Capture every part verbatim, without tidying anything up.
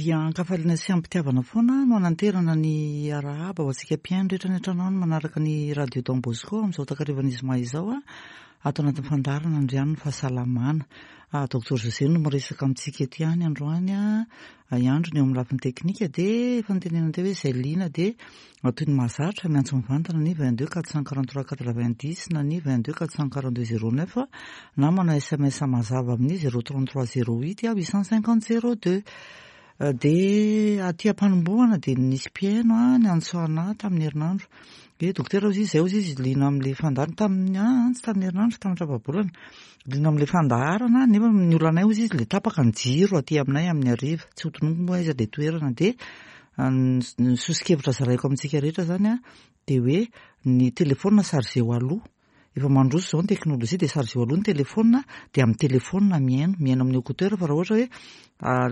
Dia an-kafaliana sy am-pitiavana foana no ananterana ny arahaba ho antsika mpihaino rehetra any an-trano any manaraka ny Radio Don Bosco amin'izao takarivan'ny zoma izao ato anatin'ny fandaharana Andriano ny fahasalamana. Docteur José no miresaka amintsika eto ihany androany, hiandro ny eo amin'ny lafiny teknika, dia efa notenenina teo hoe izay liana dia toy ny mahazatra miantso mivantana ny vingt deux quatre cent quarante trois quatre vingt dix na ny vingt deux quatre cent quarante deux zéro neuf na manao S M S mazava amin'ny zéro trente trois zéro huit huit cent cinquante zéro deux. Dia aty am-panombohana dia nisy mpihaino a niantso anahy tamin'ny herinandro hoe: "Dokotera," hozy izy, "zay," hozy izy, "liana amin'le fandaharana tamin'ny a tsy tamin'ny herinandro, tamin'ny tapa-bolana, liana amin'le fandaharana, nefa ny olanay," hozy izy, "le tapaka ny jiro aty aminay amin'ny hariva." Tsy ho tononiko moa aiza le toerana. Dia ny soso-kevitra zaraiko amintsika rehetra zany a dia hoe ny telefônina chargeo aloha. Efa mandroso izao ny teknôlôjia, dia chargeo aloha ny telefônina, dia amin'ny telefônina mihaino mihaino amin'ny écouteur. Fa raha ohatra hoe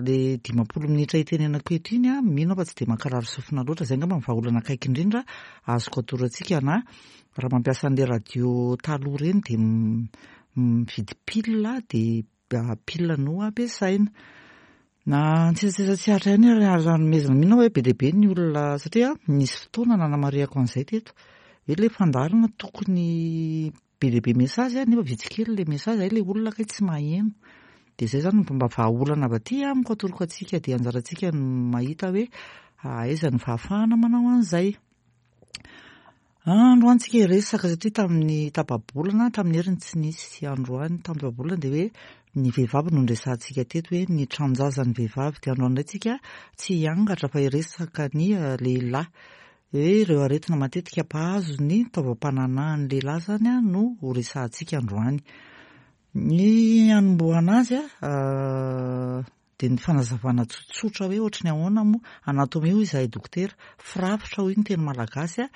le dimampolo minitra itenenako eto iny a mino aho fa tsy dia mankarary sofina loatra. Zay angamba ny vahaolana akaiky indrindra azoko atoro antsika. Na raha mampiasa an'le radio taloha ireny dia mividy pile, dia pile no ampiasaina. Na tsisy tsy aritra ihany raha nomezana, mino aho hoe be dia be ny olona, satria nisy fotoana nanamarihako an'izay teto hoe le fandaharana tokony be dia be message nefa vitsy kely le message, ay le olona kay tsy maheno. Dia zay zany mba vahaolana avy aty amiko atoroko antsika, dia anjarantsika no mahita hoe aiza ny fahafahana manao an'izay. Androany tsika hiresaka, satria tamin'ny tapa-bolana, tamin'ny heriny tsy nisy, androany tamin'ny tapa-bolana dia hoe ny vehivavy no nresahantsika teto, hoe ny tranjazan'ny vehivavy. Dia androany indray tsika tsy hiangatra fa hiresaka ny lehilahy, hoe ireo aretina matetika mpahazo ny taovam-pananahan'ny lehilahy zany a no ho resahantsika androany. Ny anombohana azy a dia ny fanazavana tsotsotra hoe ohatry ny ahoana moa anatomie hoy izahay dokotera, firafitra hoy ny teny malagasy a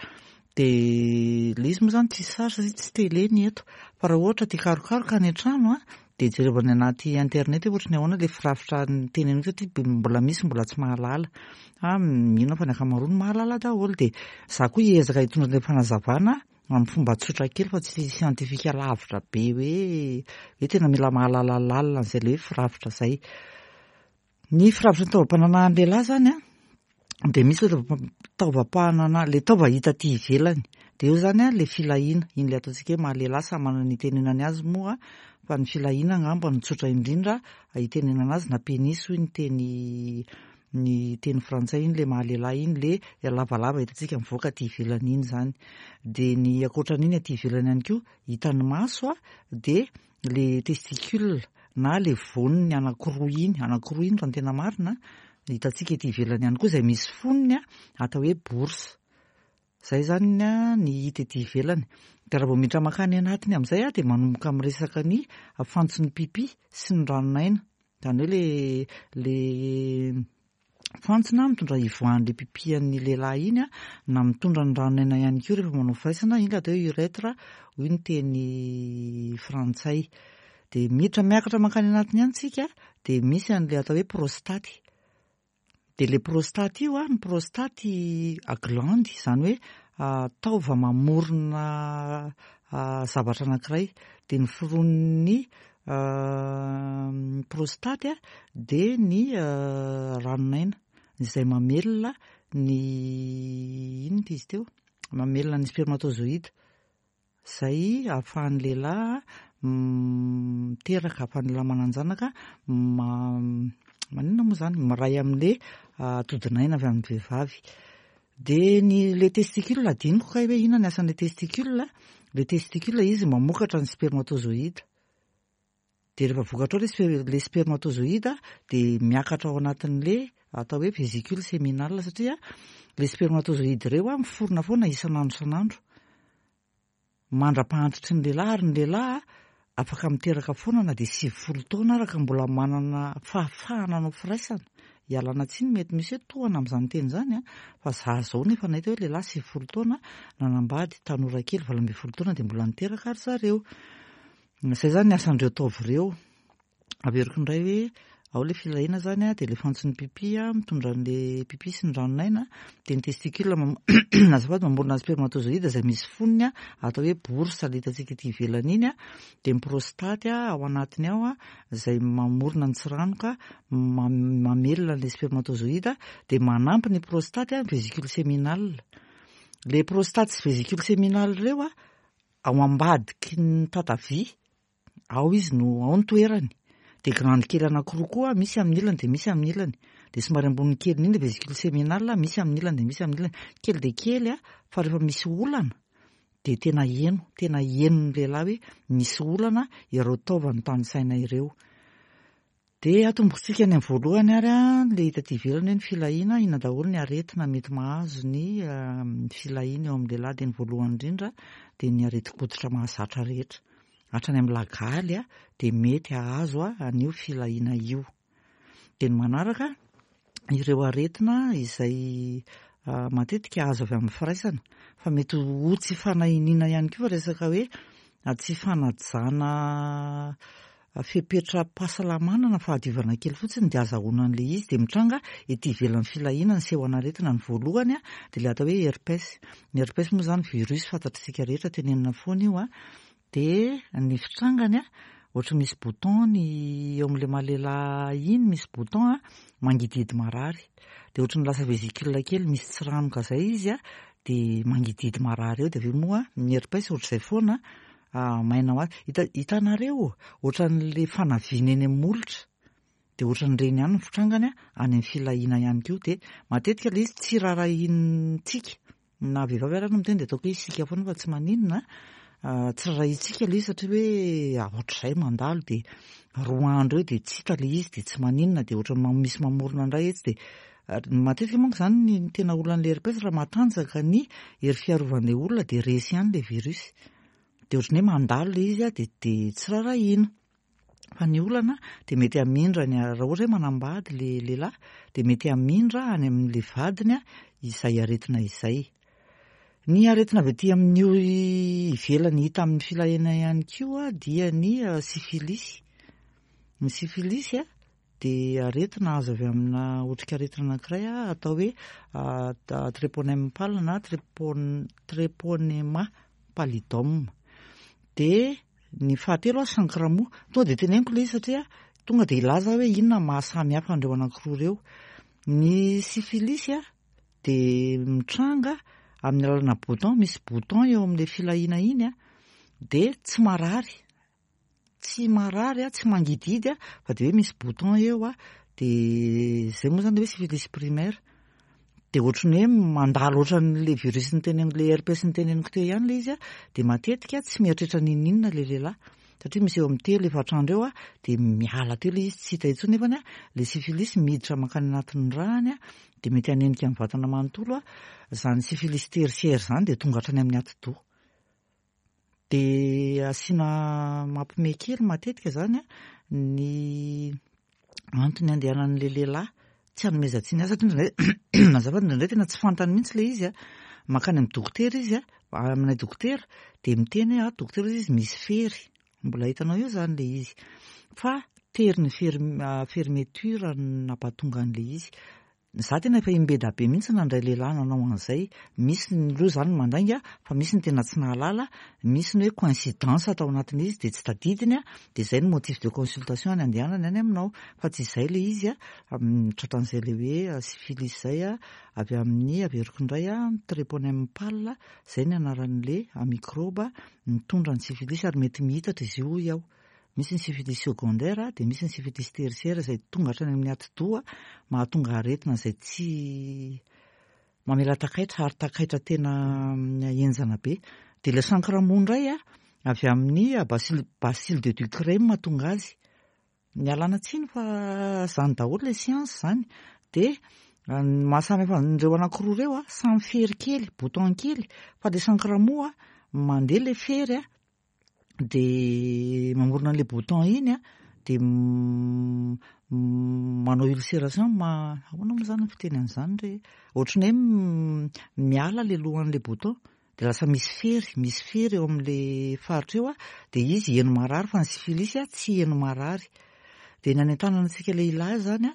dia le izy moa zany tsy sarotra satria tsy télé ny eto, fa raha ohatra tia karokaroka any an-trano a dia jerevana anaty internet hoe ohatry ny ahoana le firafitra ny teneniko, satria mbola misy mbola tsy mahalala a mino aho fa ny ankamaroany mahalala daholo. Dia za koa hiezaka hitondra an'ilay fanazavana amin'ny fomba tsotra kely fa tsy siantifika lavitra be hoe hoe tena mila mahalala lalina an'izay le hoe firafitra zay. Ny firafitra ny taovam-pananahan'ny lehilahy zany a dia misy le taovam-panana, le taova hita aty ivelany, dia eo zany a le filahiana iny, le ataontsika hoe mahalehilahy, samy manana ny itenenany azy moa, fa ny filahiana angamba no tsotra indrindra itenenana azy, na pénis hoy ny teny ny teny frantsay. Iny le mahalehilahy iny, le lavalava hitantsika mivoaka aty ivelany iny zany. Dia ny ankoatran'iny aty ivelany ihany koa hitan'ny maso a dia le testicule na le voniny anankiroa iny, anankiroa iny raha ny tena marina, hitantsika ety ivelany ihany koa, izay misy fonony a atao hoe bourse. Zay zany a ny hita ety ivelany. Dia raha vao miditra mankany anatiny amin'izay a dia manomboka miresaka ny fantson'ny pipi sy ny ranonaina, zany hoe le le fantsona mitondra ivoahan'le pipian'ny lehilahy iny a na mitondra ny ranonaina ihany koa rehefa manao firaisana, iny le atao hoe urètre hoy ny teny frantsay. Dia miditra miakatra mankany anatiny ihany tsika, dia misy an'le atao hoe prostaty. Dia le prostaty io a ny prostaty glande, zany hoe taova mamorona zavatra anankiray. Dia ny firon'ny prostaty a dia ny ranonaina izay mamelona ny inona izy teo, mamelona ny spermatozoïde zay ahafahan'ny lehilahy miteraka, ahafahan'ny lehilahy manan-janaka, maninona moa zany, miray amin'le atodinaina avy amin'ny vehivavy. De ny le testicule adinoko kay hoe inona ny asan'le testicule. Le testicule izy mamokatra ny spermatozoïde, de rehefa vokatra ao le le spermatozoïde de miakatra ao anatin'le atao hoe vésicule séminale, satria le spermatozoïde reo a miforona foana isan'andro isan'andro mandra-pahantitry ny lehilahy. Ary ny lehilahy afaka miteraka foana na de sivifolo taona araka mbola manana fahafahana anao firaisana. Ialana tsiny, mety misy hoe tohana amin'izany teny zany a fa za zao nefa nahita hoe lehilahy sivifolo taona nanambady tanora kely valo ambin'ny folo taona, de mbola niteraka ary zareo. Zay zany ny asan'ireo taova ireo. Averiko indray hoe Ao ilay filahiana izany dia ilay fantson'ny pipi mitondra an'ilay pipi sy ny ranon'aina, dia ny testicule azafady mamorona ny spermatozoïde izay misy fonony atao hoe bourse ilay hitantsika ety ivelany iny, dia ny prostate ao anatiny ao izay mamorona ny tsiranoka mamelona an'ilay spermatozoïde, dia manampy ny prostate ny vésicule séminale. Ilay prostate sy vésicule séminale ireo ao ambadiky ny tatavia, ao izy no ao ny toerany. Dia glande kely anankiroa koa misy amin'ny ilany dia misy amin'ny ilany. Dia somary ambony kely indrindra vésicule séminale misy amin'ny ilany dia misy amin'ny ilany. Kely dia kely a, fa rehefa misy olana dia tena heno, tena henon'ny lehilahy hoe misy olana ireo taovany tanisaina ireo. Dia atombotsika any amin'ny voalohany ary a, ilay hita aty ivelany hoe ny filahiana, inona daholo ny aretina mety mahazo ny filahiana eo amin'ny lehilahy. Dia ny voalohany indrindra dia ny aretin-koditra mahazatra rehetra. Hatrany amin'ny lagaly a, dia mety hahazo an'io filahiana io. Dia ny manaraka ireo aretina izay matetika azo avy amin'ny firaisana, fa mety ho tsy fanahiniana ihany koa, fa resaka hoe tsy fanajana fepetra-pahasalamana na fahadiovana kely fotsiny dia azahoana an'ilay izy, dia mitranga ety ivelan'ny filahiana ny seho an'aretina. Ny voalohany a, dia ilay atao hoe herpès. Ny herpès moa izany virus fantatr'isika rehetra, tenenina foana io a. Dia ny fitrangany a, ohatra misy bouton ny eo amin'ilay maha-lehilahy iny, misy bouton a mangidihidy marary. Dia ohatran'ny lasa vésicule kely misy tsiranoka izay izy a, dia mangidihidy marary eo. Dia avy eo moa ny herpès ohatr'izay foana maina ho azy. Hita hitanareo ohatran'ilay fanaviana eny amin'ny molotra, dia ohatran'ireny ihany ny fitrangany any amin'ny filahiana ihany koa. Dia matetika ilay izy tsy raharahiantsika, na vehivavy ary no miteny dia ataoko hoe isika foana fa tsy maninona. Tsy raharahiantsika ilay izy satria hoe ohatr'izay mandalo dia roa andro eo dia tsy hita ilay izy dia tsy maninona, dia ohatran'ny misy mamorona indray etsy. Dia matetika manko izany ny tena olan'ilay herpès, raha matanjaka ny hery fiarovan'ilay olona dia resy ihany ilay virus. Dia ohatran'ny hoe mandalo ilay izy dia dia tsy raharahiana. Fa ny olana dia mety hamindra ny, raha ohatra hoe manambady ilay lehilahy dia mety hamindra any amin'ilay vadiny izay aretina izay. Ny aretina avy aty amin'io ivelany hita amin'ny filahiana ihany koa dia ny syphilis. Ny syphilis dia aretina azo avy amina otrikaretina anankiray atao hoe treponema pal na treponema pallidum. Dia ny fahatelo chancre mou, tonga dia teneniko ilay izy satria tonga dia hilaza hoe inona mahasamy hafa an'ireo anankiroa ireo. Ny syphilis dia mitranga amin'ny alalana bouton, misy bouton eo amin'ilay filahiana iny a, dia tsy marary, tsy marary a, tsy mangidihidy a, fa dia hoe misy bouton eo a, dia izay moa izany hoe syphilis primaire. Dia ohatran'ny hoe mandalo ohatran'ilay virus niteneniko, ilay herpès niteneniko teo ihany ilay izy a, dia matetika tsy mieritreritra n'inon'inona ilay lehilahy, satria misy eo amin'ny telo efatra andro eo a, dia miala teo ilay izy, tsy hita intsony. Nefany a, ilay syphilis miditra mankany anatin'ny ràny a, dia mety hanenika ny vatana manontolo a. Izany syphilis tertiaire izany dia tonga hatrany amin'ny atidoha. Dia asiana mampime kely matetika izany a, ny antony andehanan'ilay lehilahy tsy hanomezan-tsiny azy, satria indraindray azafady, indraindray tena tsy fantany mihitsy ilay izy a. Mankany amin'ny dokotera izy a, aminay dokotera dia miteny hoe ah dokotera izy misy fery, mbola hitanao eo izany ilay izy, fa tery ny fermeture no nampatonga an'ilay izy. Za tena efa imbeda be mihitsy nandray lehilahy nanao an'izay. Misy ny aloha izany mandainga, fa misy ny tena tsy nahalala, misy ny hoe coïncidence tao anatin'izy izy dia tsy tadidiny a, dia izay no motif de consultation any andehanany any aminao, fa tsy izay ilay izy a, tratran'izay ilay hoe syphilis izay a, avy amin'ny averiko indray a, treponema pal, izay ny anaran'ilay microbe mitondra ny syphilis, ary mety mihitatra izy io hoy aho. Misy ny syphilis secondaire, dia misy ny syphilis tertiaire izay tonga hatrany amin'ny atidoha, mahatonga aretina izay tsy mamela takaitra, ary takaitra tena henjana be. Dia ilay chancre mou indray a, avy amin'ny bacille, bacille de Ducrey mahatonga azy. Mialana tsiny fa izany daholo ilay science izany. Dia ny mahasamy hafa an'ireo anankiroa ireo a, samy fery kely, bouton kely, fa ilay chancre mou a, mandeha ilay fery a, dia mamorona an'ilay bouton iny a, dia manao ulcération, ma ahoana moa izany ny fiteny an'izany re? Ohatran'ny hoe miala ilay lohan'ilay bouton, dia lasa misy fery, misy fery eo amin'ilay faritra eo a, dia izy heno marary, fa ny syphilis a tsy heno marary. Dia ny anentanana antsika lehilahy zany a,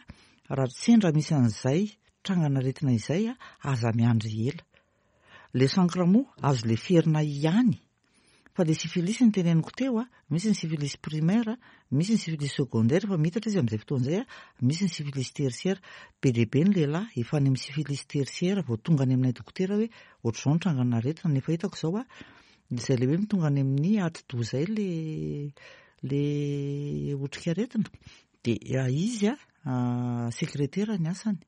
raha sendra misy an'izay trangan'aretina izay a, aza miandry ela. Le chancre moa azo leferina ihany, fa le syphilis ny teneniko teo a, misy ny syphilis primaire, misy ny syphilis secondaire fa mitatra izy amin'izay fotoana izay a, misy ny syphilis tertiaire. Be dia be ny lehilahy efa any amin'ny syphilis tertiaire vao tonga any aminay dokotera hoe ohatr'izao ny trangan'aretina, nefa hitako izao a, izay le hoe tonga any amin'ny atidoha izay le le otrikaretina, dia izy a sekretera ny asany.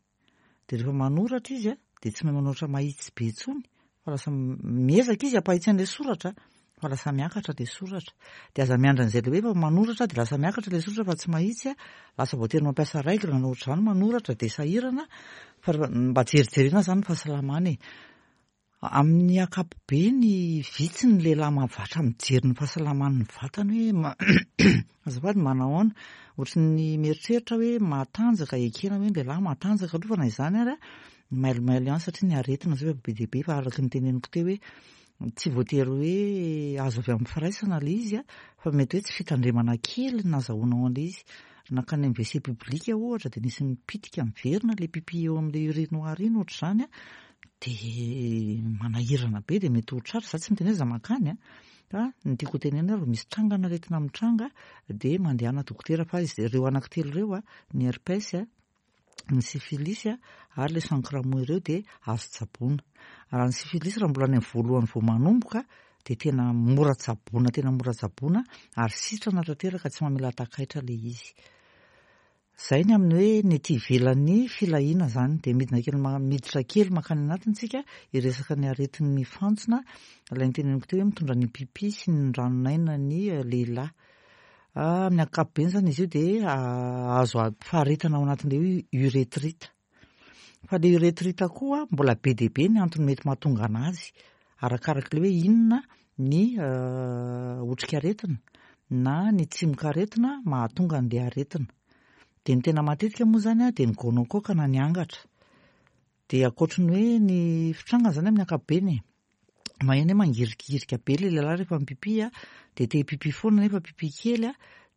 Dia rehefa manoratra izy a, dia tsy mahay manoratra mahitsy be intsony, fa lasa miezaka izy hampahitsy an'ilay soratra, fa lasa miakatra ilay soratra. Dia aza miandry an'izay le hoe fa manoratra dia lasa miakatra ilay soratra fa tsy mahitsy a, lasa voatery mampiasa règle na ohatr'izany manoratra dia sahirana, fa mba jerijerena zany ny fahasalamana e. Amin'ny ankapobeny vitsy ny lehilahy mahavatra mijery ny fahasalaman'ny vatany hoe azafady manao ahoana, ohatry ny mieritreritra hoe matanjaka, ekena hoe ny lehilahy matanjaka aloha fa na izany ary a, mailomailo ihany satria ny aretina zao efa be dia be, fa araka ny teneniko teo hoe tsy voatery hoe azo avy amin'ny firaisana ilay izy a, fa mety hoe tsy fitandremana kely no nahazoanao an'ilay izy. Nankany amin'ny W C public ohatra dia nisy nipitika miverina ilay pipi eo amin'ilay urinoir iny ohatr'izany a, dia manahirana be dia mety ho tratra. Za tsy miteny hoe za mankany a, fa ny tiako ho tenenina rehefa misy trangan'aretina mitranga dia mandehana dokotera, fa izy ireo anankitelo ireo a, ny herpès a, ny syphilis a ary le chancre mou ireo dia azo tsaboina. Raha ny syphilis, raha mbola any amin'ny voalohany vao manomboka, dia tena mora tsaboina, tena mora tsaboina ary sitrana tanteraka, tsy mamela takaitra ilay izy. Zay ny amin'ny hoe ny aty ivelan'ny filahiana zany. Dia midina kely, miditra kely mankany anatiny tsika hiresaka ny aretin'ny fantsona, ilay niteneniko teo hoe mitondra ny pipi sy ny ranonaina ny lehilahy. Amin'ny ankapobeny zany izy io dia azo faharetana ao anatin'ilay hoe urétrite, fa le urétrite koa mbola be dia be ny antony mety mahatonga anazy, arakarak'ilay hoe inona ny otrikaretina na ny tsimokaretina mahatonga an'ilay aretina. Dia ny tena matetika moa zany a, dia ny gonocoque na ny angatra. Dia ankoatry ny hoe ny fitrangana zany amin'ny ankapobeny e, maheno hoe mangirikirika be le lehilahy rehefa mipipi a, dia te hipipi foana nefa pipi kely a,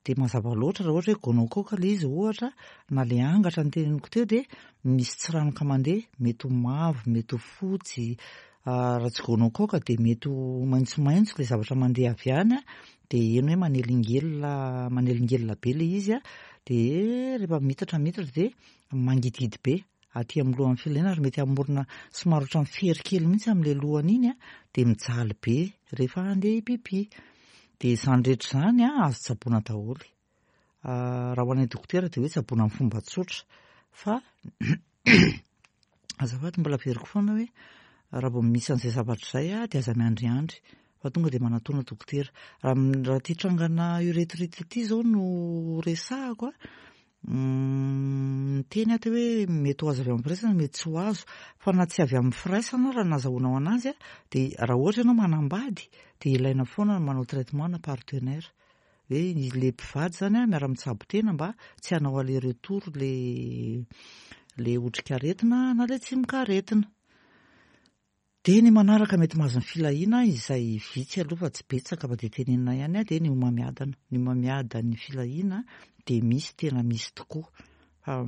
dia mazava loatra raha ohatra hoe gonocoque ilay izy ohatra na le angatra ny teneniko teo, dia misy tsiranoka mandeha, mety ho mavo, mety ho fotsy, raha tsy gonocoque dia mety ho maitsomaitso ilay zavatra mandeha avy any a, dia eny hoe manelingelina, manelingelina be ilay izy a, dia rehefa mitatra mitatra dia mangidihidy be aty amin'ny lohan'ny filahiana ary mety hamorona somary ohatran'ny fery kely mihitsy amin'ilay lohany iny a, dia mijaly be rehefa handeha hipipi. Dia izany rehetra izany a azo tsaboina daholo. Raha ho anay dokotera dia hoe tsaboina amin'ny fomba tsotra, fa azafady, mbola averiko foana hoe raha vao misy an'izay zavatra izay a, dia aza miandriandry fa tonga dia manatona dokotera. Raha raha ty trangana urétrite ity zao no resahako a, miteny aho teo hoe mety ho azo avy amin'ny firaisana, mety tsy ho azo, fa na tsy avy amin'ny firaisana raha nahazahoanao anazy a, dia raha ohatra ianao manambady dia ilaina foana ny manao traitement na partenaire, hoe le mpivady zany a miara-mitsabo tena mba tsy hanao aller retour le le otrikaretina na le tsimokaretina. Dia ny manaraka mety mahazo ny filahiana, izay vitsy aloha fa tsy betsaka, fa dia tenenina ihany a, dia ny homamiadana. Ny homamiadan'ny filahiana dia misy, tena misy tokoa, fa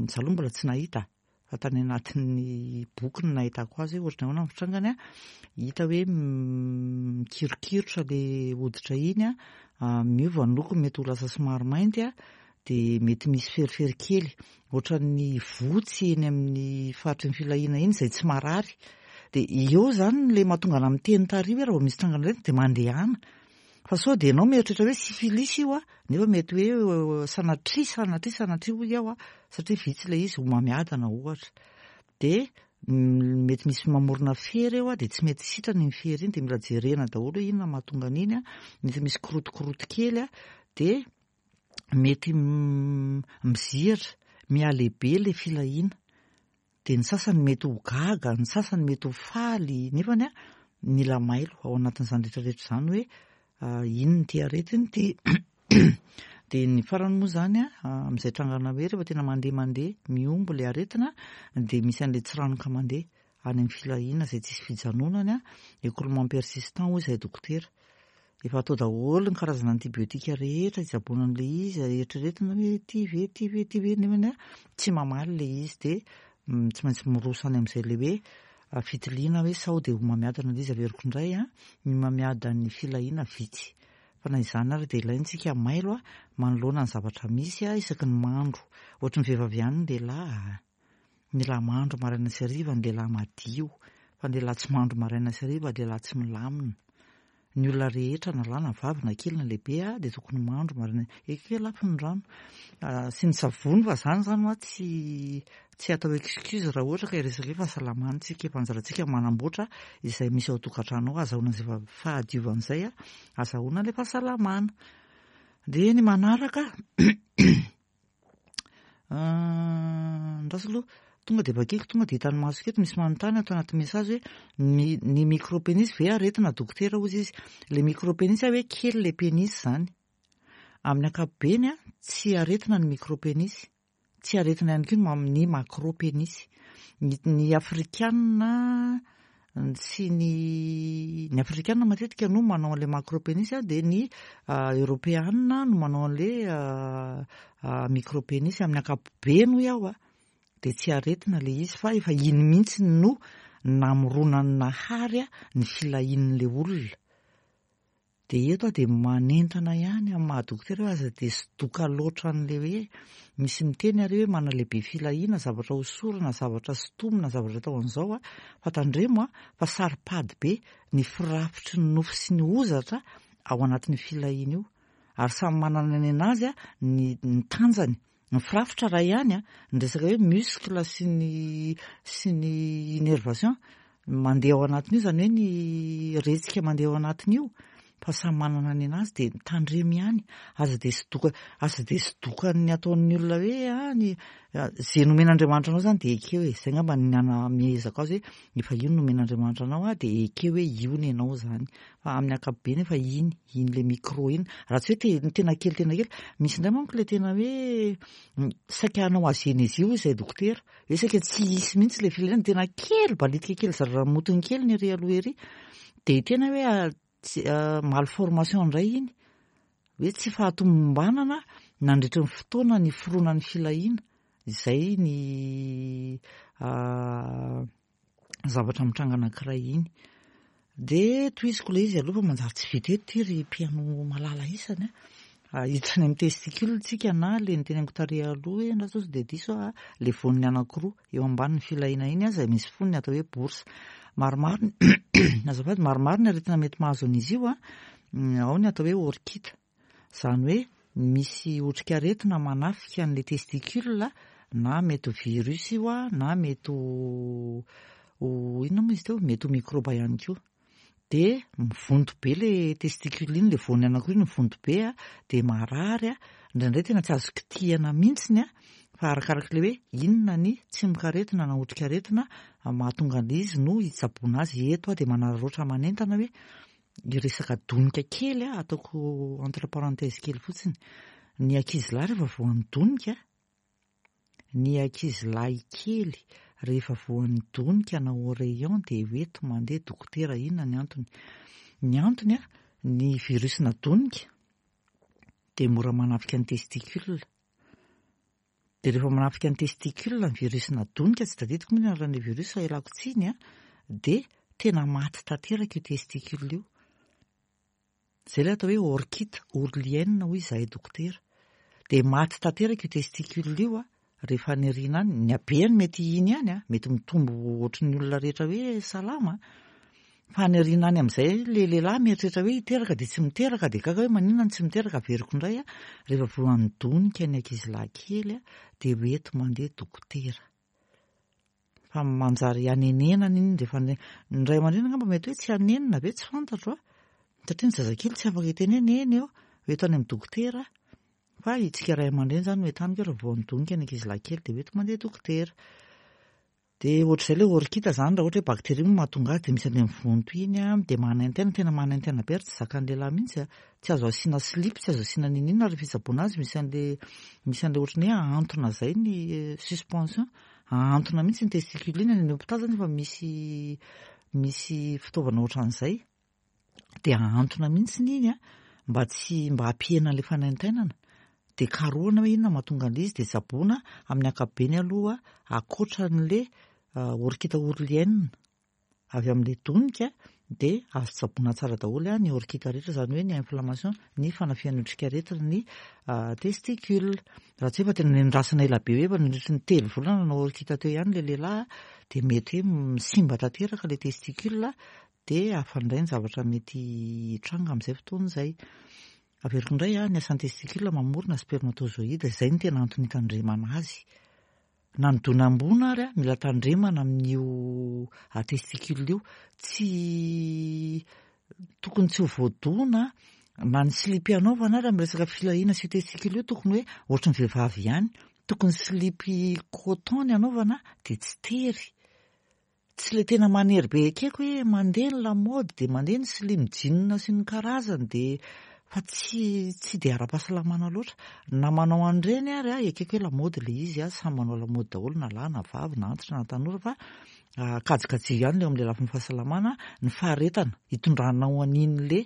za aloha mbola tsy nahita, fa tany anatin'ny boky no nahitako azy hoe ohatran'ny ahoana ny fitrangany a. Hita hoe mikirokirotra le hoditra iny a, miova ny lokony, mety ho lasa somary mainty a, dia mety misy ferifery kely ohatran'ny votsy eny amin'ny faritry ny filahiana iny izay tsy marary. Dia eo zany le mahatonga ana miteny tary hoe raha vao misy trangana aretina dia mandehana, fa sao dia ianao mieritreritra hoe syphilis io a, nefa mety hoe sanatria, sanatria, sanatria hoy aho a, satria vitsy ilay izy, homamiadana ohatra, dia mety misy mamorona fery eo a, dia tsy mety sitrana iny fery iny, dia mila jerena daholo hoe inona mahatonga an'iny a. Mety misy kirotokoroto kely a, dia mety mizihatra mihalehibe le filahiana, dia ny sasany mety ho gaga, ny sasany mety ho faly, nefany a mila mailo ao anatin'izany rehetrarehetra izany hoe inona ity aretina ity. Dia ny farany moa zany a, amin'izay trangana hoe rehefa tena mandeha mandeha mihombo le aretina, dia misy an'ilay tsiranoka mandeha any amin'ny filahiana izay tsisy fijanonany a, écoulement persistant hoy izay dokotera. Efa atao daholo ny karazana antibiotika rehetra hitsaboana an'ilay izy, eritreretina hoe ty ve, ty ve, ty ve, nefany tsy mamaly ilay izy dia tsy maintsy miroso any amin'izay ilay hoe fitiliana hoe sao dia homamiadana ilay izy. Averiko indray a, ny homamiadan'ny filahiana vitsy. Fa na izany ary dia ilaintsika mailo a manoloana ny zavatra misy a isaky ny mandro. Ohatry ny vehivavy ihany ny lehilahy. Ny lehilahy mandro maraina sy hariva, ny lehilahy madio. Fa ny lehilahy tsy mandro maraina sy hariva, lehilahy tsy milamina. Ny olona rehetra na lahy na vavy na kely na lehibe a dia tokony mandro maraina. Ekeko lafo ny rano sy ny savony fa zany zany hoa tsy tsy atao excuse raha ohatra ka hiresaka hoe fahasalamana tsika, efa anjarantsika manamboatra izay misy ao an-tokantrano ao, azahoana izay fahadiovana izay a, azahoana ilay fahasalamana. Dia ny manaraka andraso aloha, tonga dia vakiko, tonga dia hitan'ny masoko eto, misy manontany ato anaty message hoe ny ny micropénis ve aretina dokotera hozy izy. Ilay micropénis hoe kely ilay pénis zany. Amin'ny ankapobeny a tsy aretina ny micropénis, tsy aretina ihany koa ny ny macropénis. Ny ny afrikanina sy ny ny afrikanina matetika no manao an'ilay macropénis a, dia ny eoropeanina no manao an'ilay micropénis. Amin'ny ankapobeny hoy aho a dia tsy aretina ilay izy fa efa iny mihitsy no namoronan'ny Nahary a ny filahian'ilay olona. Dia eto aho dia manentana ihany amin'ny maha dokotera hoe aza dia sodoka loatra an'ilay hoe misy miteny ary hoe manalehibe filahiana, zavatra hosorana, zavatra sintomina, zavatra atao an'izao a, fa tandremo a fa saro-pady be ny firafitry ny nofo sy ny hozatra ao anatin'ny filahiana io. Ary samy manana ny anazy a ny ny tanjany. Ny firafitra iray ihany a, ny resaka hoe muscle sy ny sy ny innervation mandeha ao anatin'io, zany hoe ny retsika mandeha ao anatin'io, fa samy manana ny anazy dia tandremo ihany, aza dia sodoka aza dia sodokan'ny ataon'ny olona hoe a ny zay nomen'Andriamanitra anao zany dia ekeo e, zay angamba ny anamehezako azy hoe efa io no nomen'Andriamanitra anao a dia ekeo hoe io ny anao zany. Fa amin'ny ankapobeny efa iny, iny le micro iny. Raha tsy hoe te- tena kely tena kely, misy indray manko ilay tena hoe saika hanao azénésie hoy izay dokotera, hoe saika tsy hisy mihitsy ilay filahiana, tena kely balitika kely zaramotony kely ny ery aloha ery. Dia tena hoe tsy malformation indray iny, hoe tsy fahatomombanana nandritra ny fotoana niforonan'ny filahiana, izay ny zavatra mitranga anankiray iny. Dia tohiziko ilay izy aloha fa manjary tsy vita eto ity ry mpihaino malala isany a. Hiditra any amin'ny testicule tsika na ilay niteneniko tary aloha hoe andraso sao dia diso aho, ilay voaniny anankiroa eo ambanin'ny filahiana iny izay misy fonony atao hoe bourse. Maromaro azafady, maromaro ny aretina mety mahazo an'izy io a, ao ny atao hoe orchite, izany hoe misy otrikaretina manafika an'ilay testicule na mety ho virus io a, na mety ho ho inona moa izy teo, mety ho microbe ihany koa. Dia mivonto be ilay testicule iny, ilay voany anankiroa iny mivonto be a, dia marary a, indraindray tena tsy azo kitihana mihitsiny a, fa arakarak'ilay hoe inona ny tsimokaretina na otrikaretina mahatonga an'ilay izy no hitsaboana azy. Eto aho dia manararaotra manentana hoe hiresaka donika kely a, ataoko entre parenthèse kely fotsiny. Ny ankizilahy rehefa voan'ny donika, ny ankizilahy kely rehefa voan'ny donika na oreillon dia hoento mandeha dokotera. Inona ny antony? Ny antony a, ny virus na donika dia mora manafika ny testicule. Dia rehefa manafika ny testicule ny virus na donika, tsy tadidiko moa ny anaran'ilay virus fa ialako tsiny a, dia tena maty tanteraka io testicule io. Izay ilay atao hoe orchite ourlienne hoy izahay dokotera. Dia maty tanteraka io testicule io a, rehefa any aoriana any, ny habehany mety iny ihany a, mety mitombo ohatry ny olona rehetra hoe salama, fa any aoriana any amin'izay le lehilahy mieritreritra hoe hiteraka dia tsy miteraka, dia gaga hoe maninona no tsy miteraka, averiko indray a, rehefa voan'ny donika ny ankizilahy kely a, dia hoento mandeha dokotera. Fa manjary hanenenana iny rehefa ny ny ray aman-dreny angamba mety hoe tsy hanenina ve, tsy fantatro a, satria ny zazakely tsy afaka hiteny hoe neny eo, hoento any amin'ny dokotera. Fa itsika ray aman-dreny zany no entaniko raha voan'ny donika ny ankizilahy kely dia hoento mandeha dokotera. Dia ohatr'izay ilay orchite zany, raha ohatra hoe bakteria moa mahatonga azy dia misy an'ilay mivonto iny a, dia manaintaina, tena manaintaina be ary tsy zakan'ny lehilahy mihitsy a, tsy azo asiana slip, tsy azo asiana n'inon'inona rehefa fitsaboana azy, misy an'ilay misy an'ilay ohatran'ny hoe ahantona izay ny suspension, ahantona mihitsy ny testicule iny any amin'ny hôpitaly zany efa misy misy fitaovana ohatran'izay. Dia ahantona mihitsy iny a, mba tsy mba hampihena an'ilay fanaintainana. Dia karohina hoe inona mahatonga an'ilay izy, dia tsaboina amin'ny ankapobeny aloha ankoatran'ilay orchite ourlienne avy amin'ilay donika, dia azo tsaboina tsara daholo ny orchite rehetra, izany hoe ny inflammation, ny fanafihan'ny otrikaretina ny testicule. Raha tsy hoe efa tena nendrasana ela be hoe efa nandritry ny telo volana nanao orchite teo ihany ilay lehilahy, dia mety hoe simba tanteraka ilay testicule, dia hafa indray ny zavatra mety hitranga amin'izay fotoana izay. Averiko indray, ny asan'ny testicule mamorona spermatozoïde, izay no tena antony hitandremana azy. Na ny donam-boana ary mila tandremana amin'io testicule io, tsy tokony tsy ho voadona na ny slip anaovana ary amin'ny resaka filahiana sy io testicule io, tokony hoe ohatry ny vehivavy ihany, tokony slip coton ny anaovana dia tsy tery. Tsy ilay tena manery be, ekeko hoe mandeha ny lamaody dia mandeha ny slim jean sy ny karazany, dia fa tsy tsy dia ara-pahasalamana loatra. Na manao an'ireny ary a, ekeko hoe lamaody ilay izy a, samy manao lamaody daholo na lahy na vavy na antitra na tanora, fa kajikajio ihany ilay amin'ilay lafiny fahasalamana, ny faharetana hitondranao an'iny le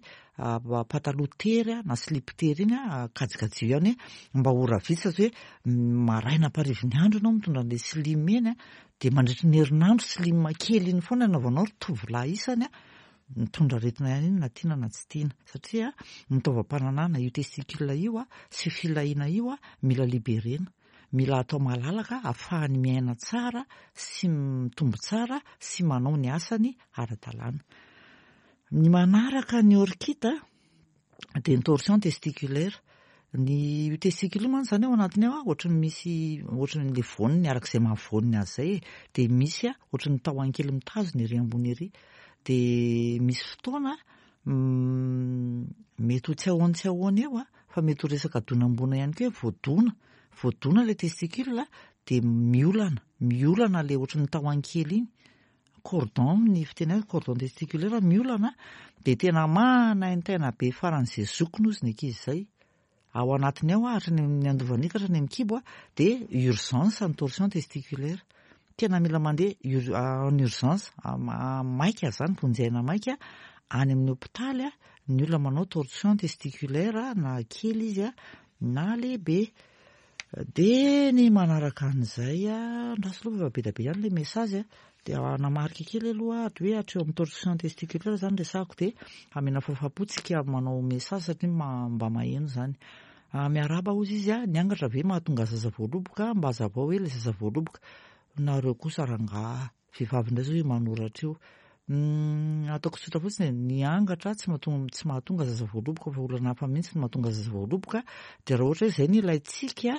pataloha tery na slip tery iny a, kajikajio ihany hoe mba ora vitsy, satria hoe maraina amparivin'ny andro ianao mitondra an'ilay slim iny a, dia mandritry ny herinandro slim kely iny foana anaovanao ry tovolahy isany a, mitondra aretina ihany iny na tiana na tsy tiana, satria ny taovam-pananahana io testicule io a sy filahiana io a mila liberena, mila atao malalaka ahafahany miaina tsara sy mitombo tsara sy manao ny asany ara-dalàna. Ny manaraka ny orchite dia ny torsion testiculaire. Ny testicule io mantsy izany ao anatiny ao ohatry ny misy, ohatry ny le voaniny arak'izay mahavoaniny azy izay e, dia misy a ohatry ny tahony kely mitazona ery ambony ery, dia misy fotoana mety ho tsy ahoana tsy ahoana eo a, fa mety ho resaka donam-boana ihany koa hoe voadona, voadona ilay testicule dia miolana, miolana ilay ohatry ny tahony kely iny, cordon ny fiteny azy, cordon testiculaire miolana, dia tena manaintaina be faran'izay zokiny ozy ny ankizy izay. Ao anatiny ao hatrany amin'ny andovan'ny hatrany amin'ny kibo a, dia urgence ny torsion testiculaire. Tena mila mandeha en urgence maika zany, vonjy aina maika any amin'ny hôpitaly a, ny olona manao torsion testiculaire na kely izy a na lehibe. Dia ny manaraka an'izay a, andraso aloha fa be dia be ihany ilay message a, dia hanamarika kely aloha hoe hatreo amin'ny torsion testiculaire zany resahako, dia amena fahafahampo-tsika manao message satria mba maheno zany. Miarahaba hozy izy a, ny angatra ve mahatonga zaza voaloboka? Mba hazavao hoe ilay zaza voaloboka. Nareo kosa rangahy, vehivavy indray zao io manoratra io. Ataoko tsotra fotsiny e, ny angatra tsy mahatonga tsy mahatonga zaza voaloboka fa olana hafa mihitsy no mahatonga zaza voaloboka, dia raha ohatra hoe izay no ilaintsika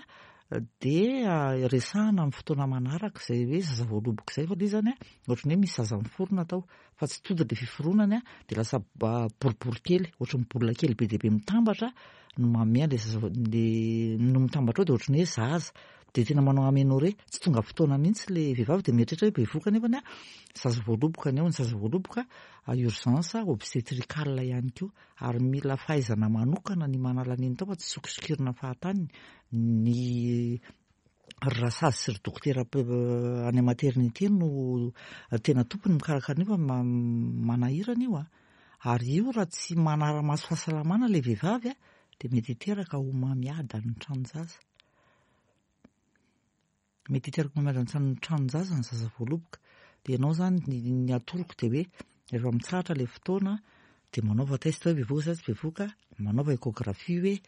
dia resahana amin'ny fotoana manaraka izay hoe zaza voaloboka izay, fa ilay izy zany a ohatry ny hoe misy zaza miforona tao fa tsy tonga ilay fiforonany a, dia lasa boribory kely ohatry ny baolina kely be dia be mitambatra no manome an'ilay zaza, le no mitambatra ao dia ohatry ny hoe zaza, dia tena manao aménorrhée, tsy tonga fotoana mihitsy ilay vehivavy dia mieritreritra hoe bevohoka nefany a zaza voaloboka ny ao. Ny zaza voaloboka urgence obstétricale ihany koa, ary mila fahaizana manokana ny manala an'iny tao fa tsy sokisokirina fahatany. Ny rasazy sy ry dokotera any maternité no tena tompony mikarakara an'io fa manahirana io a, ary io raha tsy manara-maso fahasalamana ilay vehivavy a dia mety hiteraka homamiadana ny tranon-jaza, mety hiteraka homamiadana ny tranon-jaza ny zaza voaloboka. Dia ianao zany ny atoroko dia hoe rehefa mitsahatra ilay fotoana dia manaova test hoe bevohoka sa tsy bevohoka, manaova échographie hoe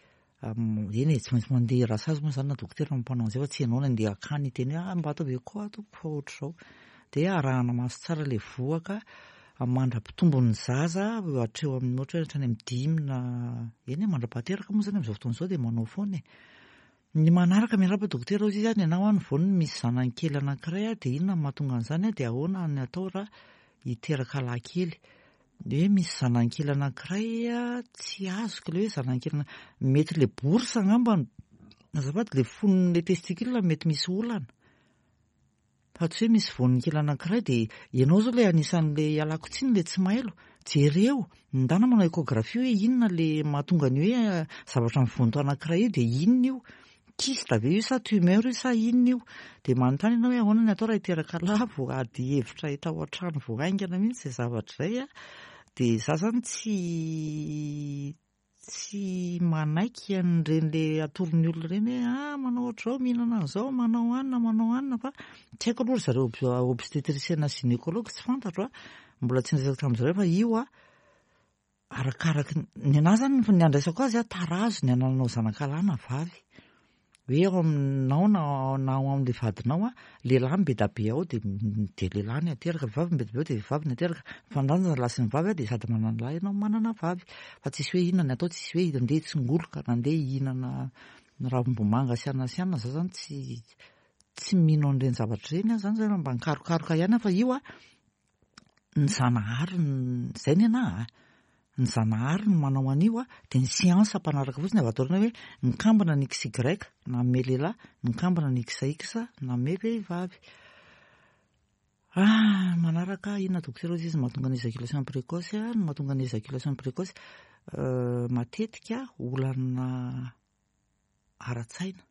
eny e, tsy maintsy mandeha rasazy moa zany na dokotera mampanao an'izay fa tsy ianao no andeha hakany hiteny hoe mba ataovy écho aho tompoko fa ohatr'izao. Dia arahana maso tsara ilay vohoka mandra-pitombon'ny zaza hatreo amin'ny ohatra hoe hatrany amin'ny dimy na eny e, mandra-pahateraka moa zany amin'izao fotoana izao dia manao foana e. Ny manaraka, miarahaba dokotera hozy izy a, ny anao ny voaniny misy zanany kely anankiray a, dia inona no mahatonga an'izany a, dia ahoana ny atao raha hiteraka lahy kely? Hoe misy zanany kely anankiray a, tsy azoko ilay hoe zanany kely, mety ilay bourse angamba, azafady, ilay fonon'ilay testicule mety misy olana, fa tsy hoe misy voaniny kely anankiray. Dia ianao zao ilay anisan'ilay ialako tsiny ilay tsy mailo, jereo ndana manao échographie hoe inona le mahatonga ny hoe zavatra mivonto anankiray io, dia inona io, kyste ve io sa tumeur io sa inona io? Dia manontany ianao hoe ahoana ny atao raha hiteraka lahy, vao ady hevitra hita ao an-trano vao haingana mihitsy izay zavatra izay a. Dia za zany tsy tsy manaiky an'ireny le atoron'ny olona ireny hoe ah, manao ohatr'izao, mihinana an'izao, manao anina, manao anina, fa tsy haiko aloha ry zareo obstétricienne, gynécologue, tsy fantatro a, mbola tsy niresaka tamin'zareo. Fa io a, arakaraky ny anahy zany ny andraisako azy a, tarazo ny anananao zanakalahy na vavy, hoe ao aminao na na ao amin'le vadinao a, lehilahy no be da be ao de de lehilahy ny ateraka, vehivavy no be da be ao de vehivavy ny ateraka. Mifandanja ny lahy sy ny vavy a, de sady manana lahy ianao, manana vavy, fa tsisy hoe inona ny atao, tsisy hoe andeha tsingoloka na andeha hihinana ravim-bomanga sy anana sy anana. Za zany tsy tsy mino an'ireny zavatra ireny aho zany zany mba nikarokaroka ihany aho. Fa io a, ny Zanahary zay ny anahy a, ny Zanahary no manao an'io a, de ny siansa mpanaraka fotsiny avy ato aoriana, hoe mikambana ny X Y nanome lehilahy, mikambana ny X X nanome vehivavy. Ah, manaraka inona dokotera izy mahatonga ny éjaculation précoce? A, ny mahatonga ny éjaculation précoce, matetika olana ara-tsaina,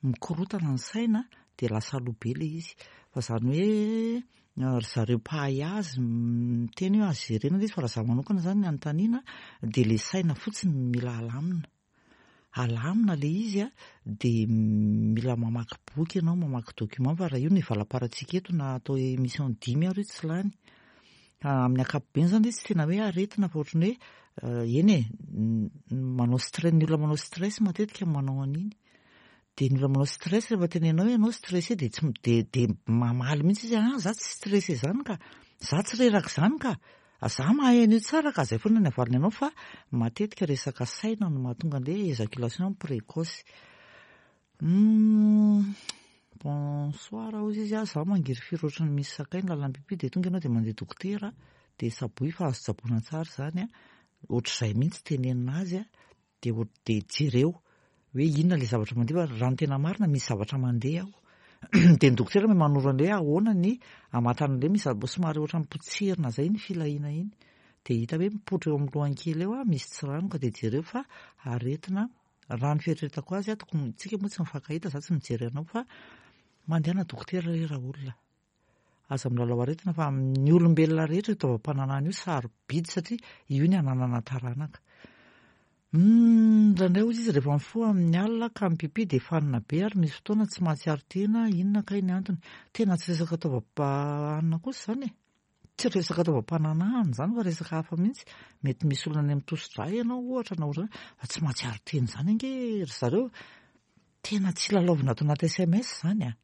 mikorotana ny saina de lasa aloha be le izy. Fa zany hoe ry zareo mpahay azy miteny hoe azo jerena le izy, fa raha za manokana zany ny anontaniana de le saina fotsiny mila alamina, alamina le izy a, de mila mamaky boky ianao, mamaky document. Fa raha io no ivalaparantsika eto, na atao émission dimy ary io tsy lany. Amin'ny ankapobeny zany izy tsy tena hoe aretina, fa ohatrany hoe eny e, manao stress, ny olona manao stress matetika manao an'iny. De ny olona manao stress, rehefa tenenao hoe ianao stressé, de tsy de de mamaly mihitsy izy: "Ah, za tsy stressé zany ka, za tsy reraka zany ka, za mahay an'io tsara ka." Zay foana ny avaliny anao. Fa matetika resaka saina no mahatonga an'le éjaculation précoce. Bonsoir hozy izy a, za mangirifiry ohatrany misy sakay ny lalam-pipi, de tonga ianao de mandeha dokotera, de tsaboy fa azo tsaboina tsara zany a, ohatr'izay mihitsy tenenina azy a, de de jereo hoe inona le zavatra mandeha. Fa raha ny tena marina, misy zavatra mandeha ao, de ny dokotera mahay manoro an'le ahoana ny amantan'le misy somary ohatra mipotserina zay ny filahiana iny, de hita hoe mipoitra eo amin'ny lohany kely eo a, misy tsiranoka, de jereo fa aretina. Raha ny fieritreretako azy a, tokony tsika moa tsy mifankahita, za tsy mijery anao, fa mandehana dokotera re raha olona, aza milalao aretina, fa amin'ny olombelona rehetra io taovam-pananahana io sarobidy, satria io ny ananana taranaka. Indraindray hozy izy, rehefa mifoha amin'ny alina ka mipipi de fanina be, ary misy fotoana tsy mahatsiaro tena. Inona kay ny antony? Tena tsy resaka taovam-panana kosa zany e, tsy resaka taovam-pananahana zany, fa resaka hafa mihitsy. Mety misy olona any amin'ny tosi-drà ianao ohatra na ohatra, fa tsy mahatsiaro tena zany ange ry zareo. Tena tsy lalaovina ato anaty S M S zany a,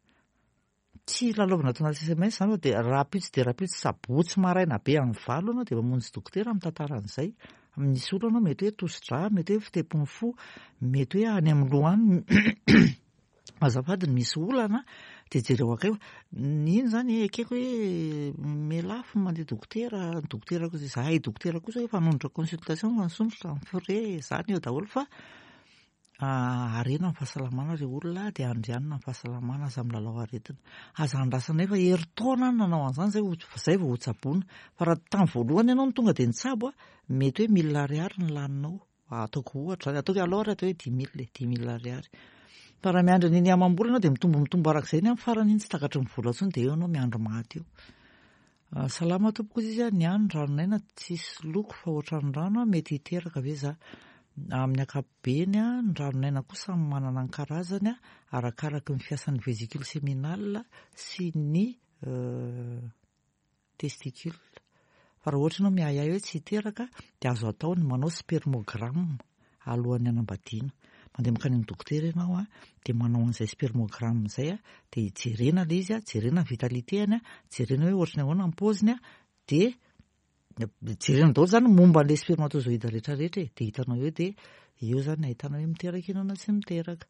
tsy lalaovina ato anaty S M S zany, fa de rahampitso de rahampitso, sabotsy maraina be amin'ny valo anao de mamonjy dokotera mitantara an'izay. Misy olona anao, mety hoe tosi-drà, mety hoe fitepon'ny fo, mety hoe any amin'ny loha any, azafady, misy olana, de jereo akay iny zany. Ekeko hoe melafo mandeha dokotera, dokotera kosa zahay, dokotera kosa hoe fanondrotra consultation fa nisondrotra ny frais zany eo daholo. Fa harena ny fahasalamana re olona, de andrianina ny fahasalamana, aza milalao aretina, aza andrasana efa herintaona any nanao an'izany zay zay vao hotsaboana. Fa raha tamin'ny voalohany ianao no tonga de nitsabo a, mety hoe mille ariary ny laninao, ataoko ohatra zany, ataoko hoe aloha ary atao hoe dix mille, dix mille ariary. Fa raha miandry an'iny amam-bolana de mitombo mitombo arak'izay iny, amin'ny farany iny tsy takatry ny vola intsony, de eo ianao miandry maty eo. Salama tompoko izy izy a, ny any ranonaina tsisy loko fa ohatran'ny rano a, mety hiteraka ve za? Amin'ny ankapobeny a, ny ranonaina koa samy manana ny karazany a, arakaraky ny fiasan'ny vésicule séminale sy ny testicule. Fa raha ohatra ianao miahiahy hoe tsy hiteraka, de azo atao ny manao spermogramme alohan'ny hanambadiana. Mandeha mankany amin'ny dokotera ianao a, de manao an'izay spermogramme zay a, de jerena le izy a, jerena ny vitalité-any a, jerena hoe ohatry ny ahoana ny paoziny a, de jerena daholo zany momba an'le spermatozoïde rehetrarehetra e, de hitanao eo, de eo zany ahitana hoe miteraka ianao na tsy miteraka.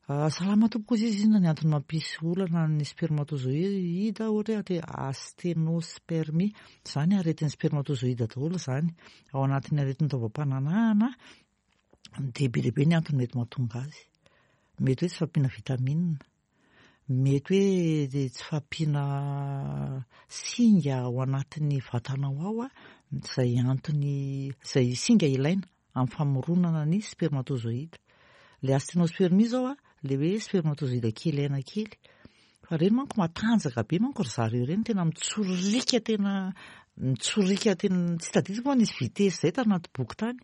Salama tompoko izy izy, inona ny antony mampisy olana ny spermatozoïde, ohatra hoe ate asthénospermie zany? Aretin'ny spermatozoïde daholo zany ao anatin'ny aretin'ny taovam-pananahana, de be lehibe ny antony mety mahatonga azy. Mety hoe tsy fahampiana vitamine, mety hoe de tsy fahampiana singa ao anatin'ny vatanao ao a, zay antony zay singa ilaina amin'ny famoronana ny spermatozoïde. Le asthénospermie zao a, le hoe spermatozoïde kely aina kely, fa reny manko matanjaka be manko ry zareo ireny, tena mitsorika, tena Mitsorika tena tsy tadidiko fa nisy vitesse zay tanaty boky tany.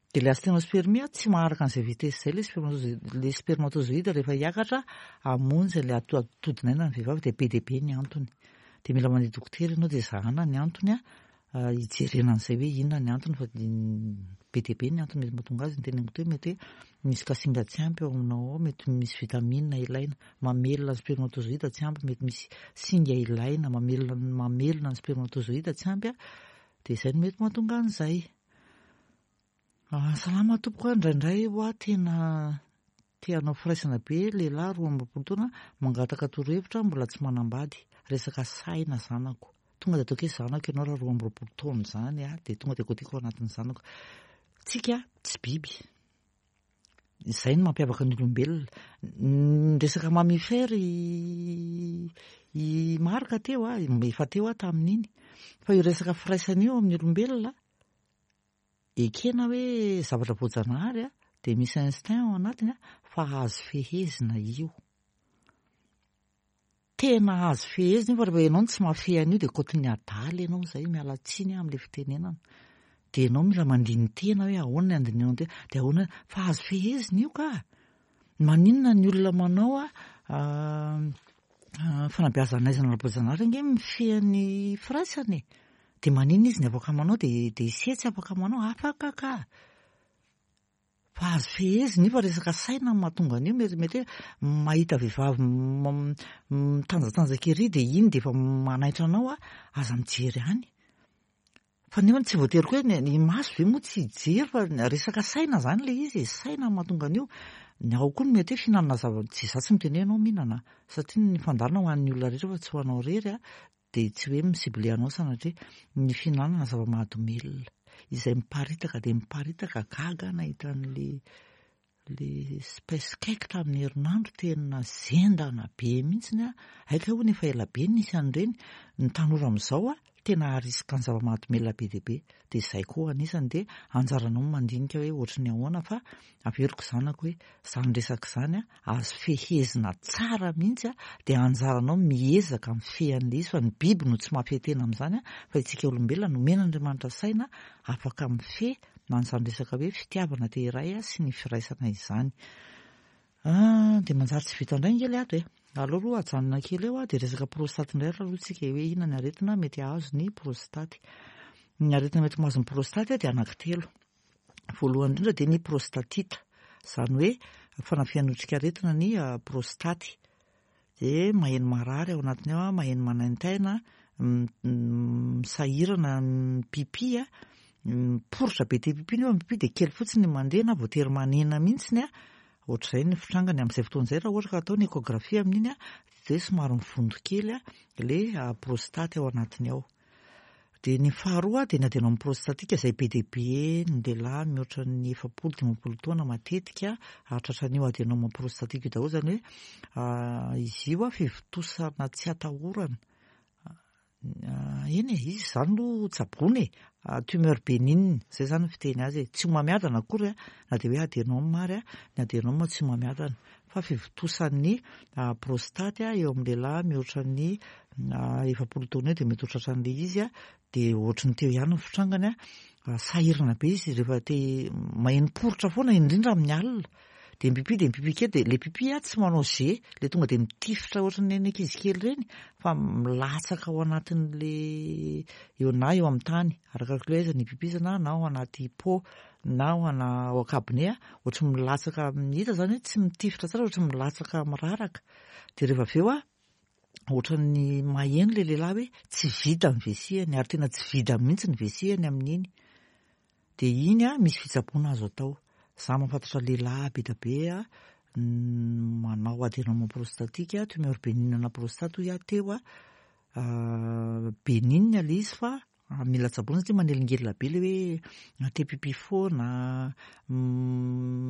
Dia ilay asthénospermie tsy maharaka an'izay vitesse izay ilay spermatozoïde, ilay spermatozoïde rehefa hiakatra hamonjy ilay atodinaina ny vehivavy dia be dia be ny antony. Dia mila mandeha dokotera ianao dia zahana ny antony hijerena an'izay hoe inona ny antony fa be dia be ny antony mety mahatonga azy. Ny teneniko teo mety hoe misy kasinga tsy ampy ao aminao ao, mety misy vitamine ilaina mamelona ny spermatozoïde tsy ampy, mety misy singa ilaina mamelona mamelona ny spermatozoïde tsy ampy, dia izay no mety mahatonga an'izay. Salama tompoko, indraindray hoa tena te hanao firaisana be lehilahy roa amby roapolo taona mangataka torohevitra mbola tsy manambady, resaka saina zanako. Tonga dia ataoko hoe zanako ianao raha roa amby roapolo taona izany a, dia tonga dia kotiko ao anatin'ny zanako. Tsika tsy biby. Izay no mampiavaka ny olombelona. Ny resaka mammifère i i Marc teo a, efa teo aho tamin'iny. Fa io resaka firaisana io amin'ny olombelona ekena hoe zavatra voajanahary a, dia misy instinct ao anatiny a, fa azo fehezina io. Tena azo fehezina io fa rehefa ianao no tsy mahafehy an'io dia kaotin'ny adala ianao izay, miala tsiny amin'ilay fitenenana. Dia ianao mila mandini-tena hoe ahoana ny andinihanao tena, dia ahoana fa azo fehezina io ka. Maninona ny olona manao a fanabeazana aizana ara-boajanahary ange mifehy ny firaisana e. Dia maninona izy ny afaka manao dia dia ise tsy afaka manao, afaka ka. Fa azo fehezina io fa resaka saina no mahatonga an'io, mety mety hoe mahita vehivavy mitanjatanjaka ery dia iny dia efa manaitra anao a, aza mijery any. Fa nefa tsy voatery koa hoe ny maso ve moa tsy hijery fa resaka saina zany ilay izy e, saina no mahatonga an'io. Ny ao koa no mety hoe fihinanana zava, tsy za tsy miteny hoe ianao mihinana satria ny fandaharana ho an'ny olona rehetra fa tsy ho anao irery a, dia tsy hoe mi-cible anao sanatria. Ny fihinanana zava-mahadomelina izay miparitaka dia miparitaka, gaga nahita an'le le space cake tamin'ny herinandro tena zendana be mihitsiny a. Aika hono efa ela be nisy an'ireny. Ny tanora amin'izao a tena risque ny zava-mahadomelina be dia be. Dia izay koa anisany dia anjaranao mandinika hoe ohatry ny ahoana fa averiko zanako hoe izany resaka izany a azo fehezina tsara mihitsy a, dia anjaranao miezaka mifehy an'ilay izy fa ny biby no tsy mahafehy tena amin'izany a, fa isika olombelona nomen'Andriamanitra saina afaka mifehy na an'izany resaka hoe fitiavana te iray a sy ny firaisana izany. Ah, dia manjary tsy vita indray nge ilay ato e. Aleo aloha ajanona kely eo a, dia resaka prostate indray aloha tsika hoe inona ny aretina mety hahazo ny prostate. Ny aretina mety mahazo ny prostate dia anankitelo. Voalohany indrindra dia ny prostatite, izany hoe fanafihan'ny otrikaretina ny prostate. Dia maheno marary ao anatiny ao, maheno manaintaina, misahirana mipipi a, miporitra be te pipi nefa mipipi dia kely fotsiny ny mandeha na voatery manena mihitsiny a. Ohatr'izay ny fitrangany amin'izay fotoana izay raha ohatra ka atao ny échographie amin'iny a, dia somary mivondo kely a ilay prostate ao anatiny ao. Dia ny faharoa dia ny adenome prostatique izay be dia be ny lehilahy mihoatra ny efapolo dimampolo taona matetika hahatratra an'io adenome prostatique io daholo, izany hoe izy io a fivontosana tsy atahorana. Eny e, izy izany aloha tsaboina e, tumeur bénigne izay zany ny fiteny azy e, tsy homamiadana akory a, na dia hoe adenome ary a, ny adenome tsy homamiadana fa fivontosan'ny prostate a eo amin'ny lehilahy mihoatra ny efapolo taona eo dia mety ho tratran'ilay izy a, dia ohatry ny teo ihany ny fitrangany a, sahirana be izy rehefa te maheno poritra foana indrindra amin'ny alina. Dia mipipi dia mipipi kely dia ilay pipi a tsy manao jet, ilay tonga dia mitifitra ohatry ny ankizy kely ireny fa milatsaka ao anatin'le eo na eo amin'ny tany arakaraka hoe aiza ny pipizana na ao anaty pot na ao ana ao an-kabone a, ohatry ny milatsaka hita zany hoe tsy mitifitra tsara ohatry ny milatsaka miraraka. Dia rehefa avy eo a ohatran'ny maheno ilay lehilahy hoe tsy vita ny vesiany ary tena tsy vita mihitsy ny vesiany amin'iny. Dia iny a misy fitsaboana azo atao. Za mahafantatra lehilahy be dia be a manao adenome prostatique, tumeur bénigne na prostate hoy aho teo a, bénigne ilay izy fa mila tsaboina satria manelingelina be ilay hoe te pipi foana,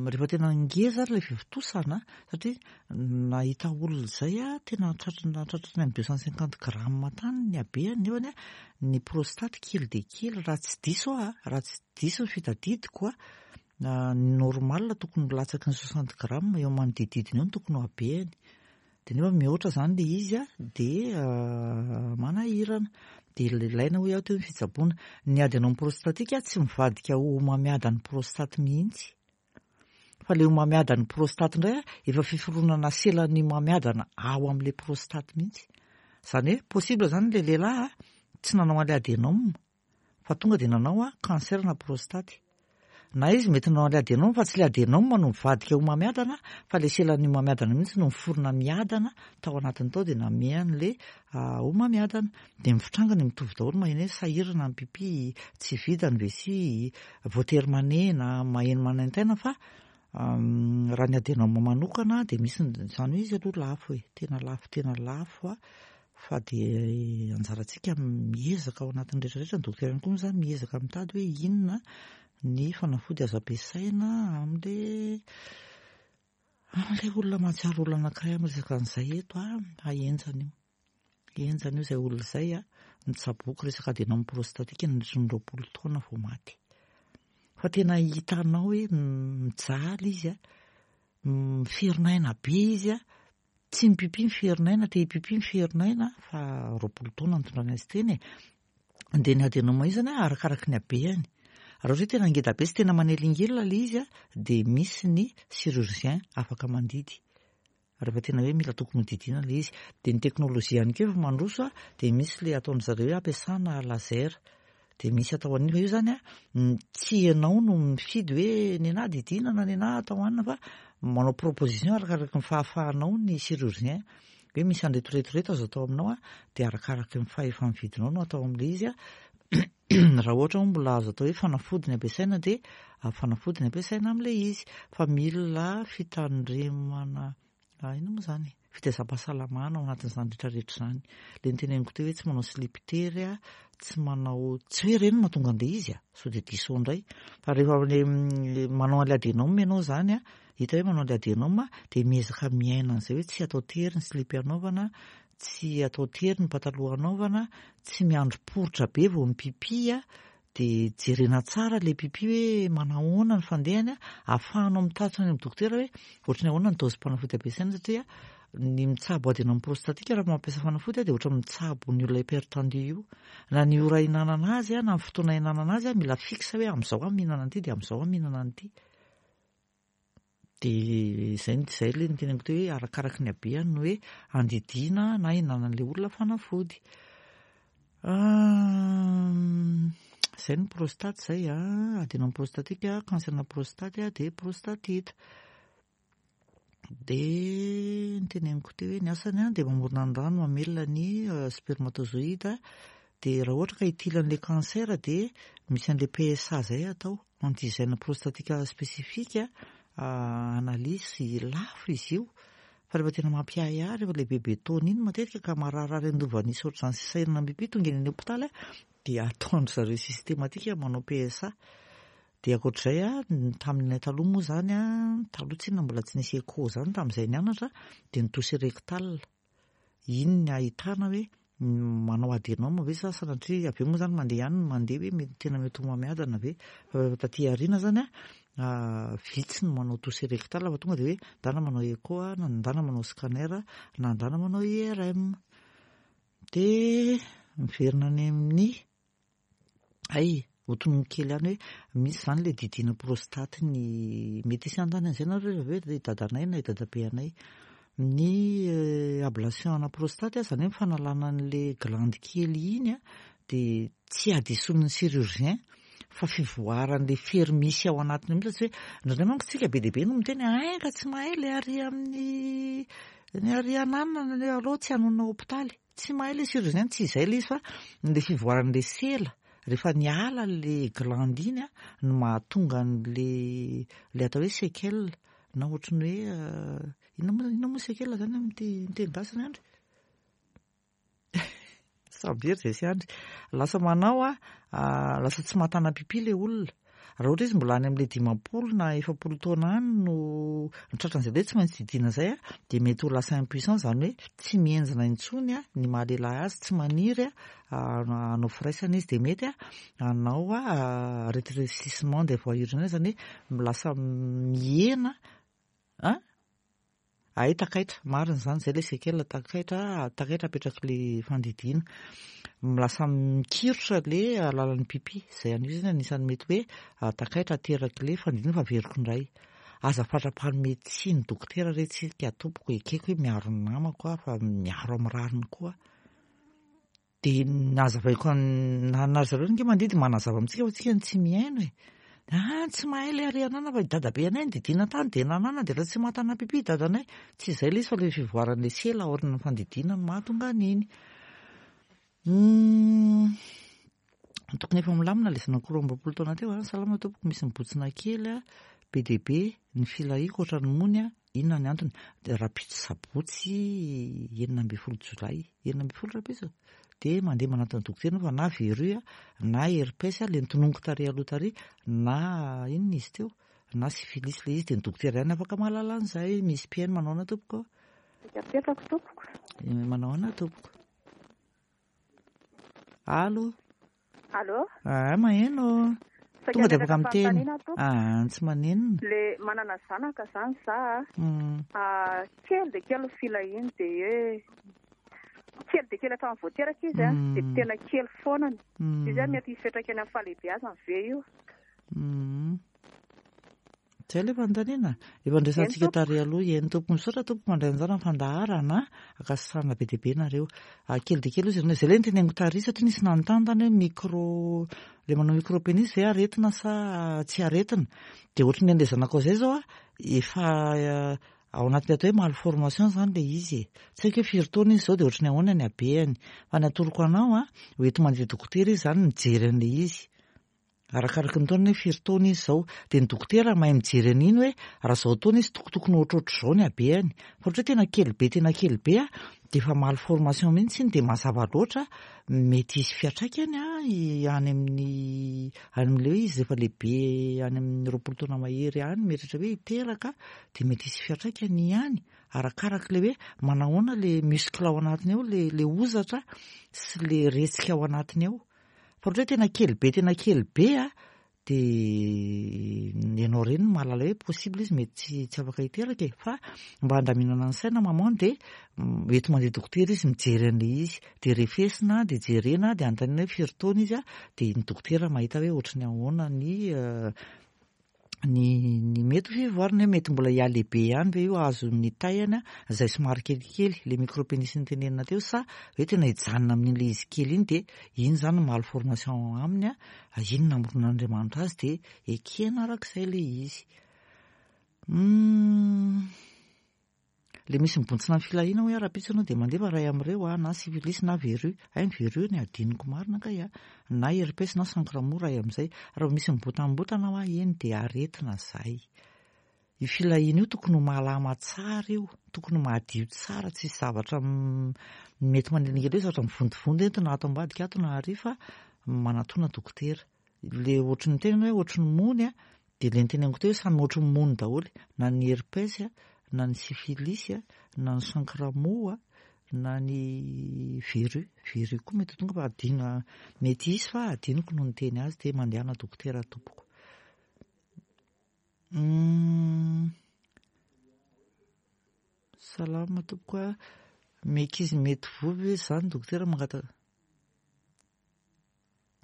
rehefa tena ngeza ary ilay fivontosana satria nahita olona izay a tena tratry tratry ny deux cent cinquante grammes tany ny habehany nefany a ny prostate kely dia kely raha tsy diso aho a, raha tsy diso ny fitadidiko a, ny normal tokony latsaky ny soixante grammes eo manodidididina eo no tokony ho habehany. Dia nefa mihoatra izany ilay izy a dia manahirana. Dia ilaina hoy aho teo ny fitsaboana. Ny adénome prostatique tsy mivadika ho homamiadan'ny prostate mihitsy. Fa le homamiadan'ny prostate indray efa fiforonana selan'ny homamiadana ao amin'ilay prostate mihitsy. Izany hoe possible zany le lehilahy tsy nanao an'ilay adénome fa tonga dia nanao cancer na prostate. Na izy mety nanao an'ilay adénome fa tsy le adénome no mivadika homamiadana fa le selan'ny homamiadana mihitsy no miforona miadana tao anatiny tao dia nanome an'le homamiadana. Dia ny fitrangany mitovy daholo, maheno hoe sahirana ny pipi, tsy vita ny vessie, voatery manena, maheno manaintaina fa raha ny adénome manokana dia misy izany hoe izy aloha lafo e, tena lafo tena lafo a, fa dia anjarantsika miezaka ao anatin'ny rehetrarehetra, ny dokotera ihany koa moa zany miezaka mitady hoe inona ny fanafody azo ampiasaina amin'le amin'ilay olona mahatsiaro olona anankiray amin'ny resaka an'izay eto a, ahenjana io. Henjana io izay olona izay a, nitsaboako resaka adénome prostatique nandritra ny roapolo taona vao maty. Fa tena hitanao hoe mijaly izy a, miferinaina be izy a, tsy mipipi miferinaina, te hipipi miferinaina fa roapolo taona nitondrany azy teny e. Dia ny adénome io zany a, arakaraky ny habeany. Raha ohatra hoe tena ngeda be sy tena manelingelina ilay izy a, dia misy ny chirurgien afaka mandidy. Rehefa tena hoe mila tokony hodidiana ilay izy. Dia ny teknôlôjia ihany koa efa mandroso a, dia misy ilay ataon-dry zareo hoe ampiasana laser. Dia misy atao an'io fa io zany a, tsy ianao no mifidy hoe ny anahy didiana na ny anahy atao anina fa manao proposition arakaraky ny fahafahanao ny chirurgien. Hoe misy an'ireto reto reto azo atao aminao a, dia arakaraky ny fahefa-mividinao no atao amin'ilay izy a. Raha ohatra moa mbola azo atao hoe fanafody ny ampiasaina dia fanafody ny ampiasaina amin'ilay izy. Fa mila fitandremana inona moa zany? Fitaizam-pahasalamana ao anatin'izany rehetrarehetra izany. Ilay noteneniko teo hoe tsy manao slip tery a, tsy manao, tsy hoe ireny no mahatonga an'ilay izy a, sao dia diso indray. Fa rehefa le manao an'ilay adénome ianao zany a, hita hoe manao an'ilay adénome dia miezaka miaina an'izay hoe tsy atao tery ny slip anaovana, tsy atao tery ny pataloha anaovana, tsy miandry poritra be vao mipipi a, dia jerena tsara ilay pipi hoe manahoana ny fandehany a, ahafahanao mitatitra any amin'ny dokotera hoe ohatran'ny ahoana ny dozim-panafody ampiasaina satria ny mitsabo adénome prostatique raha mampiasa fanafody a dia ohatra mitsabo ny olona hypertendu io. Na ny ora hihinanana azy a, na ny fotoana hihinanana azy a, mila fixe hoe amin'izao aho mihinana an'ity dia amin'izao aho mihinana an'ity. Dia izay izay ilay noteneniko teo hoe arakaraky ny habeany no hoe andidiana na hihinanan'ilay olona fanafody. Izay ny prostate izay a, adénome prostatique, cancer na prostate dia prostatite. Dia noteneniko teo hoe ny asany a dia mamorona ny rano mamelona ny spermatozoïde. Dia raha ohatra ka hitily an'ilay cancer dia misy an'ilay P S A izay atao, antigène prostatique spécifique, analyse lafo izy io. Fa rehefa tena mampiahiahy, rehefa ilay bebe taona iny matetika ka mararirary an-doha nisy ohatr'izany sy sahirana mipipi tonga eny amin'ny hôpitaly a, dia ataon-dry zareo systématique manao P S A. Dia ankoatr'izay a, tamin'ny taloha moa zany a, taloha tsinona mbola tsy nisy écho zany tamin'izay nianatra, dia ny toucher rectal. Iny ny ahitana hoe manao adénome ve sa sanatria avy eo moa zany mandeha ihany ny mandeha hoe mety tena mety ho homamiadana ve. Fa rehefa taty aoriana zany a, vitsy ny manao toucher rectal fa tonga dia hoe ndana manao écho a, na ndana manao scanner, na ndana manao I R M. Dia miverina any amin'ny ay hotononiko kely ihany hoe misy zany ilay didiana prostate ny mety hisy anontany an'izay nareo rehefa avy eo i dadanay na i dadabe anay. Ny ablation ana prostate zany hoe fanalana an'ilay glande kely iny a, dia tsy hadisoan'ny chirurgien fa fivoaran'ilay fery misy ao anatiny mihitsy. Tsy hoe indraindray manko tsika be dia be no miteny hoe ka tsy mahay ilay ary amin'ny ny ary ananana ny aloha tsy hanonona hôpitaly. Tsy mahay ilay chirurgien, tsy izay ilay izy fa ilay fivoaran'ilay sela rehefa niala ilay glande iny a no mahatonga an'ilay ilay atao hoe séquelle na ohatran'ny hoe inona moa inona moa séquelle zany amin'ny teny gasy ny andry? Samby hery izay sy andry. Lasa manao a, lasa tsy mahatana pipi ilay olona. Raha ohatra izy mbola any amin'ilay dimampolo na efapolo taona any no tratran'izay hoe tsy maintsy didiana izay a, dia mety ho lasa impuissant, zany hoe tsy mihenjana intsony a ny maha lehilahy azy, tsy maniry a hanao firaisana izy, dia mety a hanao a rétrécissement des voies urinaires, zany hoe lasa mihena a Ay, takaitra, marina izany, izay ilay séquelle takaitra, takaitra apetrak'ilay fandidiana. Lasa mikirotra ilay alalan'ny pipi, izay an'io zany anisan'ny mety hoe takaitra aterak'ilay fandidiana fa averiko indray. Aza fatra-panome tsiny dokotera re tsika tompoko, ekeko hoe miaro ny namako aho fa miaro amin'ny rariny koa. Dia nazavaiko na na zareo nge mandidy manazava amintsika fa tsika no tsy mihaino e. Ah, tsy mahay ilay ary anana fa i dadabe anay nididiana tany dia nanana dia efa tsy mahatana pipi dadanay. Tsy izay ilay izy fa ilay fivoaran'ilay sela aorian'ny fandidiana no mahatonga an'iny. Hmm. Tokony efa milamina ilay zanako roa amby roapolo taona teo a. Salama tompoko, misy mibotsina kely a, be dia be ny filahiako ohatran'ny mony a. Inona ny antony? Rahampitso sabotsy enina ambin'ny folo jolay, enina ambin'ny folo rahampitso. Dia mandeha manatona dokotera fa na verrue na herpès ilay notononiko tary aloha tary na inona izy teo na syphilis ilay izy, dia ny dokotera ihany afaka mahalala an'izay. Misy mpihaino manao ahoana tompoko? Apetrako tompoko. Manao ahoana tompoko? Allo? Allo? Ah, maheno. Tonga dia afaka miteny. Ah, tsy manenina. Le manana zanaka zany za. Mm. Ah, kely dia kely ny filahiany dia hoe kely dia kely hatramin'ny voateraka izy a, dia tena kely foanany. Izy a mety hisy fiantraikany amin'ny fahalehibeazany ve io? Mm. Zay ilay fanontaniana. Efa ndraisantsika tary aloha. Eny tompoko, misaotra tompoko mandray anjara amin'ny fandaharana. Ankasitrahana be dia be nareo. Kely dia kely izy. Zay ilay noteneniko tary satria nisy nanontany tany hoe micro, ilay manao micropénis ve aretina sa tsy aretina. Dia ohatry ny an'ilay zanakao izay zao a, efa ao anatin'ny atao hoe malformation zany ilay izy e. Tsy haiko hoe firy taona izy zao dia ohatry ny ahoana ny habehany. Fa ny atoroko anao a, hoenti mandeha dokotera izy zany mijery an'ilay izy. Arakaraky ny taona hoe firy taona izy zao. Dia ny dokotera mahay mijery an'iny hoe raha zao taona izy tokotokony ohatrohatr'izao ny habehany. Fa ohatra hoe tena kely be tena kely be a, dia efa malformation mihitsy iny dia mazava loatra mety hisy fiantraikany a any amin'ny any amin'ilay hoe izy rehefa lehibe any amin'ny roapolo taona mahery any mieritreritra hoe hiteraka dia mety hisy fiantraikany ihany. Arakarak'ilay hoe manahoana ilay muscle ao anatiny ao, ilay ilay hozatra sy ilay retsika ao anatiny ao. Fa ohatra hoe tena kely be tena kely be a, dia ianao reny no mahalala hoe possible izy mety tsy tsy afaka hiteraka e. Fa mba handaminana ny saina maman dia enti mandeha dokotera izy mijery an'ilay izy. Dia refesina dia jerena dia anontaniana hoe firy taona izy a, dia ny dokotera mahita hoe ohatry ny ahoana ny ny ny mety ho fivoarany hoe mety mbola hihalehibe ihany ve io azon'ny taihana izay somary kelikely ilay micropénis notenenina teo sa hoe tena hijanona amin'ilay izy kely iny dia iny zany malformation aminy a, iny namoronan'Andriamanitra azy dia ekena arak'izay ilay izy. Hmm. Le misy mibontsina ny filahiana hoe rahampitso ianao dia mandeha fa ray amin'ireo a, na syphilis na verrue. Ay, ny verrue ny adinoko marina kay a, na herpès na chancre mou ray amin'izay. Raha misy mibotambotana hoa eny dia aretina zay. Io filahiana io tokony ho malama tsara io, tokony ho madio tsara, tsisy zavatra mety manelingelina hoe zavatra mivontovonto entina ato ambadika ato na ary fa manatona dokotera. Le ohatry ny tena hoe ohatry ny mony a, dia le noteneniko teo hoe samy ohatry ny mony daholo, na ny herpès a, na ny syphilis a, na ny chancre mou a, na ny verrue. Verrue koa mety ho tonga fa adino, mety hisy fa adinoko no niteny azy dia mandehana dokotera tompoko. Hmm. Salama tompoko a, ankizy mety voa ve zany dokotera mangataka?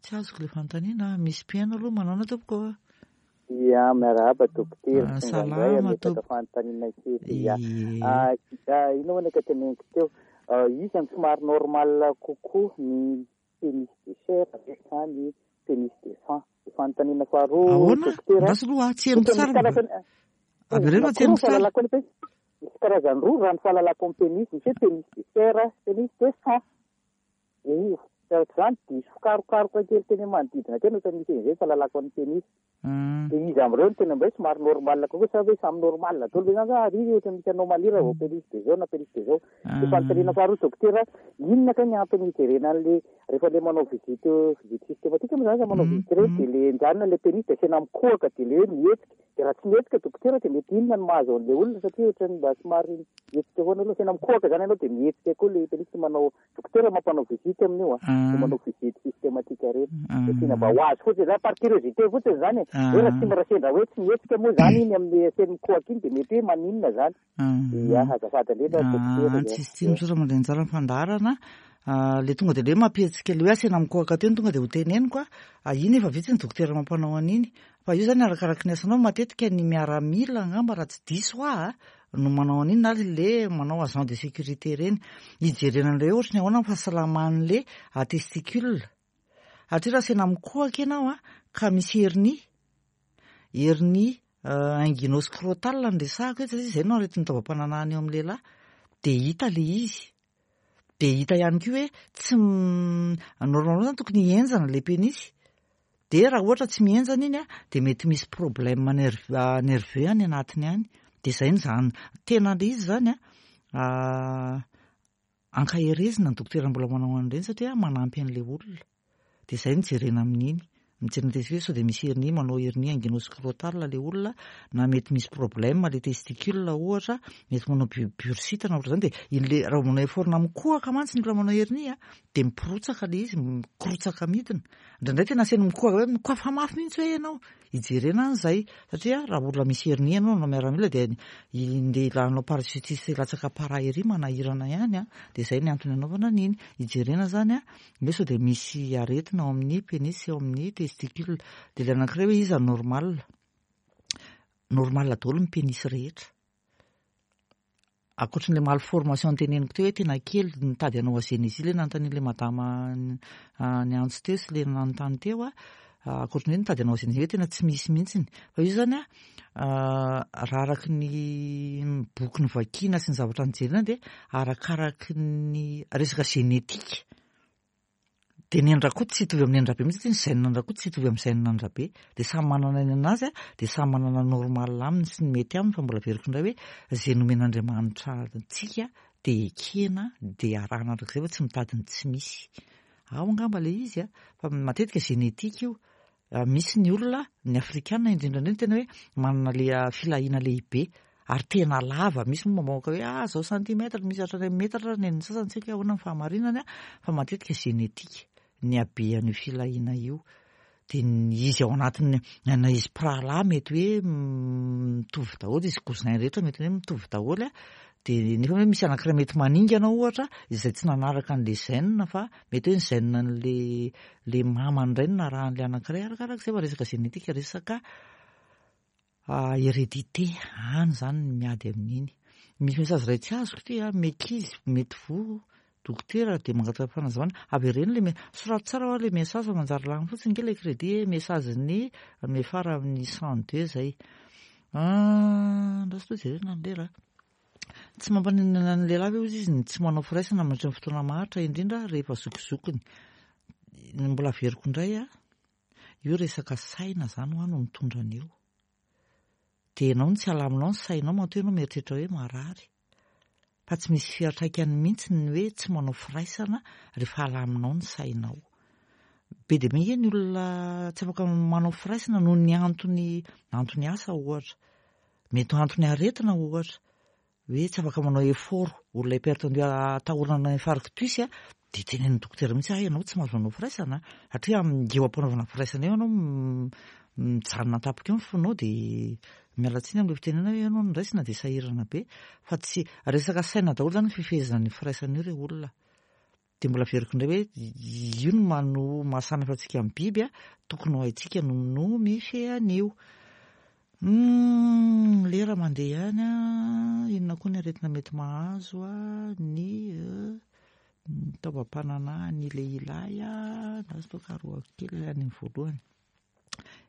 Tsy azoko ilay fanontaniana, misy mpihaino aloha manao ahoana tompoko? Ia, miarahaba dokotera. Ah, Tonga indray salama ametraka tompoko. fanontaniana kely. Ia. Ie. Ah, ah, ino moa ny teneniko teo? Ah, iza no somary normal kokoa, ny pénis de chair ve sa ny pénis de sang? Fanontaniana faharoa Ahoana? dokotera. Andraso aloha, tsy henoko Ohatra misy tsara. karazany Avereno fa tsy henoko tsara. Fahalalako ny pénis. Misy karazany roa raha ny fahalalako amin'ny pénis, misy hoe pénis de chair, pénis de sang. Io, izany diso karokaroka kely teny manodidina teny ohatra misy an'izay fahalalako amin'ny pénis. Hmm. Dia izy amin'ireo no tena mba hoe somary normal kokoa sa hoe samy normal daholo ve zany sa ary ohatra misy anomalie raha vao pénis de zao na pénis de zao. Dia fanontaniana faharoa dokotera, inona kay ny antony hijerena an'le rehefa le manao visite visite systématique moa zany sa manao Mm, visite ireny mm. dia le enjanona le pénis dia asiana mikohaka dia le hoe mihetsika. Dia raha tsy mihetsika dokotera dia mety inona no mahazo an'le olona satria ohatrany mba somary mihetsika foana aloha asiana mikohaka zany ianao dia mihetsika koa le pénis manao dokotera mampanao visite amin'io a. de manao visite systématique reny. De tiana mba ho azo fotsiny zany, par curiosité fotsiny zany e. Hoe raha tsy mirasendra hoe tsy mihetsika moa zany iny amin'ny seny mikohaka iny, de mety hoe maninona zany? Ia, azafady indrindra, dokotera. Tsisy tiany, misaotra mandray anjara ny fandaharana. Le tonga de le hoe mampihetsika le hoe asena mikohaka teo no tonga de ho teneniko a, iny efa vitsy ny dokotera mampanao an'iny, fa io zany arakaraky ny asanao. Matetika ny miaramila angamba, raha tsy diso aho, no manao an'iny, na le manao agent de sécurité reny, hijerena an'ilay hoe ohatry ny ahoana ny fahasalaman'le testicule. Satria raha asena mikohaka ianao a, ka misy hernie, hernie inguino-scrotale no resahako eto, satria zay no aretin'ny taovam-pananahana eo amin'ny lehilahy, de hita le izy, de hita ihany koa hoe tsy normalement zany tokony hihenjana le pénis, de raha ohatra tsy mihenjana iny a, de mety misy problème nerv- nerveux any anatiny any. De zay ny zany tena le izy zany a, ankaherezina ny dokotera mbola manao an'ireny, satria manampy an'le olona. De zay no jerena amin'iny, mijerena testicule sao de misy hernie, manao hernie inguino-scrotale le olona, na mety misy problème le testicule ohatra, mety manao bursite na ohatra zany. De iny le raha manao effort na mikohaka mantsy ny olona manao hernie a, de mipirotsaka le izy, mikorotsaka midina. Indraindray tena aseny mikohaka hoe mikohafa mafy mihitsy hoe ianao, hijerena an'izay. Satria raha olona misy hernie ianao nanao miaramila, de ndeha hanao parachutiste latsaka para ery, manahirana ihany a. De zay ny antony anaovana an'iny, hijerena zany a hoe sao de misy aretina ao amin'ny pénis, eo amin'ny testicule. De le anankiray hoe iza normal, normal daholo ny pénis rehetra, ankoatran'le malformation noteneniko teo hoe tena kely, nitady hanao agénésie, le nanontanian'le madama ny antso teo sy le nanontany teo a, ankoatran'ny hoe nitady hanao agénésie, hoe tena tsy misy mihitsiny. Fa io zany a, raha araky ny boky novakiana sy ny zavatra nijerena, de arakaraky ny resaka génétique. De ny an-dRakoto tsy hitovy amin'ny an-dRabe mihitsy, satria ny gène an-dRakoto tsy hitovy amin'ny gène an-dRabe. De samy manana ny anazy a, de samy manana normal aminy sy ny mety aminy. Fa mbola averiko indray hoe zay nomen'Andriamanitra antsika de ekena, de arahana arak'izay, fa tsy mitady ny tsy misy ao angamba le izy a. Fa matetika génétique io. Misy ny olona, ny afrikana indrindra indrindra, tena hoe manana le filahiana lehibe ary tena lava. Misy moa mamoaka hoe ah zao centimètre, misy hatrany amin'ny metatra ny an'ny sasany, tsy haiko hoe ahoana ny fahamarinany a, fa matetika génétique ny habean'io filahiana io. De izy ao anatiny na izy mpirahalahy mety hoe mitovy daholo, izy cousin rehetra mety hoe mitovy daholo a, de nefa hoe misy anankiray mety maningana ohatra, izay tsy nanaraka an'le gène, fa mety hoe ny gène an'le le mamany indray no narahan'le anankiray, arakarak'izay. Fa resaka génétique, resaka hérédité any zany ny miady amin'iny. Misy message iray tsy azoko ty a, mekizy mety voa dokotera, de mangataka fanazavana avereno le soraty tsara hoa le message, fa manjary lany fotsiny ke le crédit. Message ny miafara amin'ny cent deux zay andraso to jerena ny lera. Tsy mampaninona ny lehilahy ve ozy izy ny tsy manao firaisana mandritra ny fotoana maharitra, indrindra rehefa zokizokiny? Mbola averiko indray a, io resaka saina zany ho a no mitondra an'io. De ianao no tsy alaminao ny sainao, matoa ianao mieritreritra hoe marary, fa tsy misy fiantraikany mihitsy ny hoe tsy manao firaisana rehefa alaminao ny sainao. Be dia be ny olona tsy afaka manao firaisana noho ny antony, antony asa ohatra, mety ho antony aretina ohatra, hoe tsy afaka manao effort, olona hypertendu atahorana infarctus a, de tenenin'ny dokotera mihitsy ah ianao tsy mahazo manao firaisana, satria eo am-panaovana firaisana eo ianao mijanona tampoka eo ny fonao, de miala tsiny amin'ilay fitenenana hoe ianao no raisina de sahirana be. Fa tsy resaka saina daholo zany ny fifehezana ny firaisana io re olona. De mbola averiko indray hoe io no mano mahasamihafa antsika amin'ny biby a, tokony ho haintsika no no mifehy an'io. Lera mandeha ihany a, inona koa ny aretina mety mahazo a ny taovam-pananahan'ny lehilahy a? Andraso aloha karohako kely any amin'ny voalohany.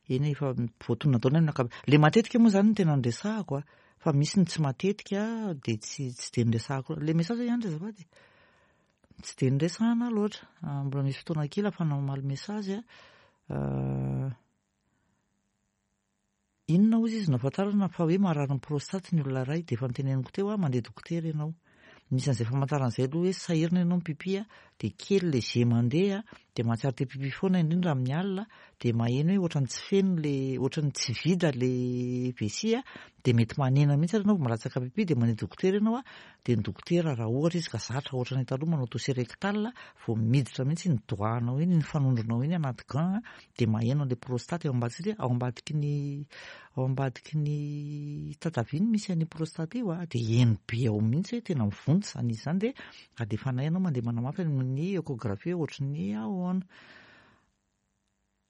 Eny, efa voatonona daholo ny ankabe. Le matetika moa zany no tena noresahako a, fa misy ny tsy matetika de tsy tsy de noresahako. Le message ihany ry azafady, tsy de noresahana loatra. Mbola misy fotoana kely ahafahana mamaly message a. Inona hozy izy no ahafantarana fa hoe marary ny prostate ny olona iray? De efa noteneniko teo a, mandeha dokotera ianao. Misy an'izay famantarana izay aloha hoe sahirana ianao mipipi a, de kely le jet mandeha, de mahatsiaro te pipi foana indrindra amin'ny alina, de maheno hoe ohatran'ny tsy feno le, ohatran'ny tsy vide le vessie a, Dia mety manena mihitsy ary ianao vao malatsaka pipi, dia mandeha dokotera ianao a, dia ny dokotera raha ohatra izy ka zatra ohatran'ny taloha manao toucher rectal, vao miditra mihitsy ny doigt-nao iny, ny fanondronao iny anaty gant, dia maheno an'ilay prostate ao ambadika, satria ao ambadiky ny ao ambadiky ny tatavia misy an'io prostate io a, dia heno be ao mihitsy hoe tena mivonto izany izy izany, dia alefanay ianao mandeha manamafy amin'ny échographie ohatran'ny ahoana.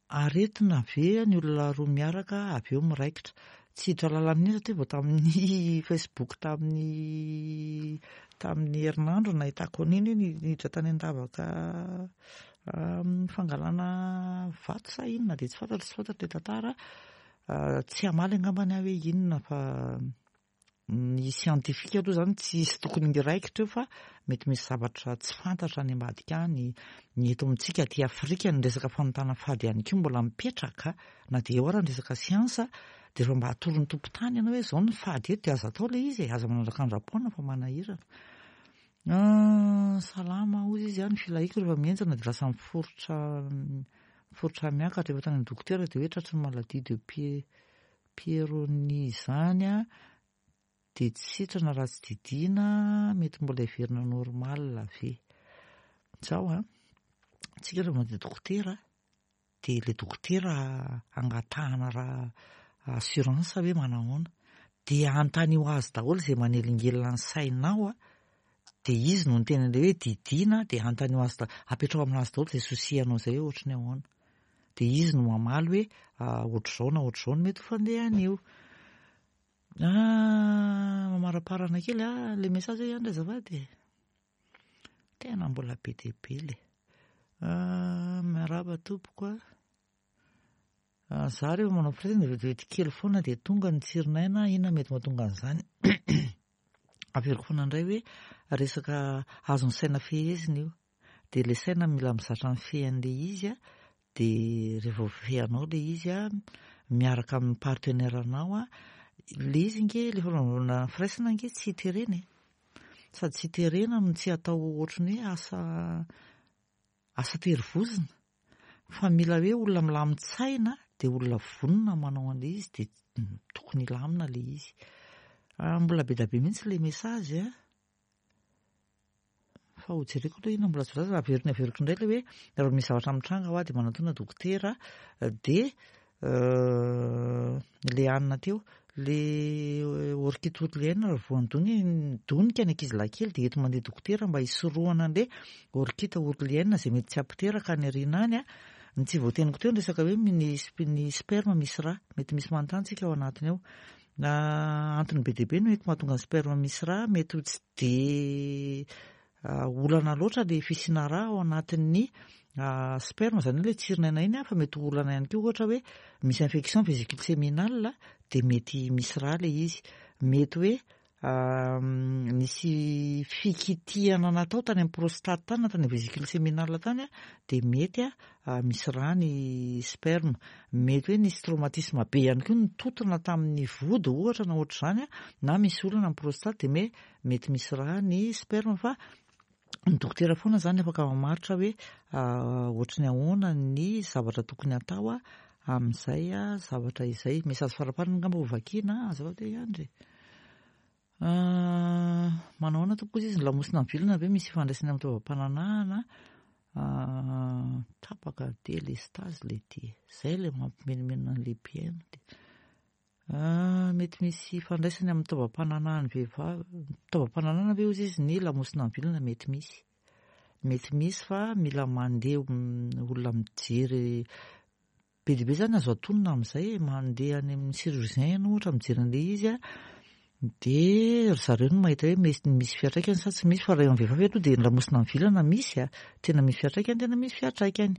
Aretina ve ny olona roa miaraka avy eo miraikitra? Tsy hiditra lalina amin'iny satria vao tamin'ny Facebook tamin'ny tamin'ny herinandro nahitako an'iny hoe niditra tany an-davaka fangalana vato sa inona, dia tsy fantatro, tsy fantatro ilay tantara. Tsy hamaly angambany aho hoe inona, fa ny siantifika aloha izany tsy hisy tokony hiraikitra eo, fa mety misy zavatra tsy fantatra any ambadika any. Ny eto amintsika aty Afrika ny resaka fanontana fady ihany koa mbola mipetraka na dia eo ara ny resaka siansa, dia rehefa mba atoron'ny tompon-tany ianao hoe izao ny fady eto dia aza atao ilay izy e, aza manandrakandram-poana fa manahirana. Salama hozy izy, ny filahiako rehefa mihenjana dia lasa miforitra miforitra miakatra, rehefa tany amin'ny dokotera dia hoe tratry ny maladie de Peyronie izany a, dia tsy sitrana raha tsy didiana, mety mbola heverina normal ve? Izao a, tsika rehefa mandeha dokotera dia ilay dokotera angatahana raha assurance hoe manahoana, dia anontany azy daholo izay manelingelina ny sainao a, dia izy no niteny an'ilay hoe didiana, dia anontany azy daholo, apetrao aminazy daholo izay souci-anao izay hoe ohatry ny ahoana, dia izy no mamaly hoe ohatr'izao na ohatr'izao no mety ho fandehan'io. Ah, mamaraparana kely a le message ihany azafady, tena mbola be dia be le. Miarahaba tompoko a, za rehefa manao firaisana dia vetivety kely foana dia tonga ny tsiron'aina, inona mety mahatonga an'izany? Averiko foana indray hoe resaka azon'ny saina fehezina io, dia ilay saina mila mizatra mifehy an'ilay izy a, dia rehefa voafehinao ilay izy a, miaraka amin'ny partenaire-nao a, ilay izy nge ilay fanaovana firaisana nge tsy terena e, sady tsy terena no tsy atao ohatran'ny hoe asa asa terivozona, fa mila hoe olona milamin-tsaina dia olona vonona manao an'ilay izy, dia tokony hilamina ilay izy. Mbola be dia be mihitsy ilay message a, fa ho jereko aloha inona mbola tsy voalaza. Averiko averiko indray ilay hoe raha misy zavatra mitranga ho aho dia manatona dokotera, dia le hanina teo le orchite ourlienne raha voandony donika ny ankizy lahy kely dia eto mandeha dokotera mba hisorohana an'le orchite ourlienne izay mety tsy hampiteraka any aoriana any a. Ny tsy voateniko teo ny resaka hoe ny ny sperme misy rà, mety misy manontany tsika ao anatiny ao. Antony be dia be no mety mahatonga ny sperme misy rà, mety ho tsy de olana loatra le fisiana rà ao anatin'ny sperme, izany hoe le tsiron'aina iny a, fa mety ho olana ihany koa ohatra hoe misy infection vésicule séminale dia mety misy rà ilay izy, mety hoe nisy fikitihana natao tany amin'ny prostate tany na tany amin'ny vésicule séminale tany a, dia mety a misy rà ny sperme, mety hoe nisy traumatisme be ihany koa nitotona tamin'ny vody ohatra na ohatr'izany a, na misy olana amin'ny prostate dia me mety misy rà ny sperme, fa ny dokotera foana izany afaka mamaritra hoe ohatry ny ahoana ny zavatra tokony atao a amin'izay a zavatra izay. Message faraparany angamba ho vakiana, azafady ihany. Manao ahoana tompoko izy, ny lamosina mivilana ve misy ifandraisany amin'ny taovam-pananahana? Tapaka délestage le ty, izay ilay mampimenomenona an'ilay mpihaino. Mety misy ifandraisany amin'ny taovam-pananahan'ny vehivavy, taovam-pananahana ve hozy izy ny lamosina mivilana? Mety misy, mety misy fa mila mandeha olona mijery be dia be izany azo atonina amin'izay, mandeha any amin'ny chirurgien ianao ohatra mijery an'ilay izy a, dia ry zareo no mahita hoe misy misy fiantraikany sa tsy misy, fa raha eo amin'ny vehivavy aloha dia ny lamosina mivilana misy a, tena misy fiantraikany, tena misy fiantraikany.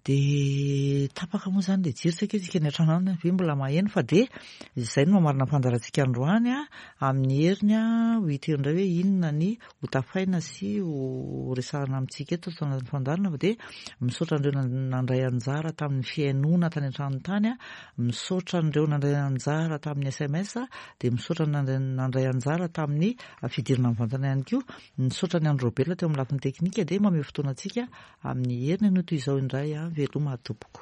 Dia tapaka moa izany ilay jiro, saika isika ny an-trano ve mbola maheno, fa dia izay no mamarina ny fandaharantsika androany a, amin'ny heriny a ho hita eo indray hoe inona ny ho tafaina sy ho resahana amintsika eto ato anatin'ny fandaharana, fa dia misaotra an'ireo nandray anjara tamin'ny fihainoana tany an-trano tany a, misaotra an'ireo nandray anjara tamin'ny S M S, dia misaotra nandray anjara tamin'ny fidirana mivantana ihany koa, misaotra ny Andry Robert teo amin'ny lafiny teknika, dia mamehy fotoana antsika amin'ny heriny anio toy izao indray a. Veloma tompoko.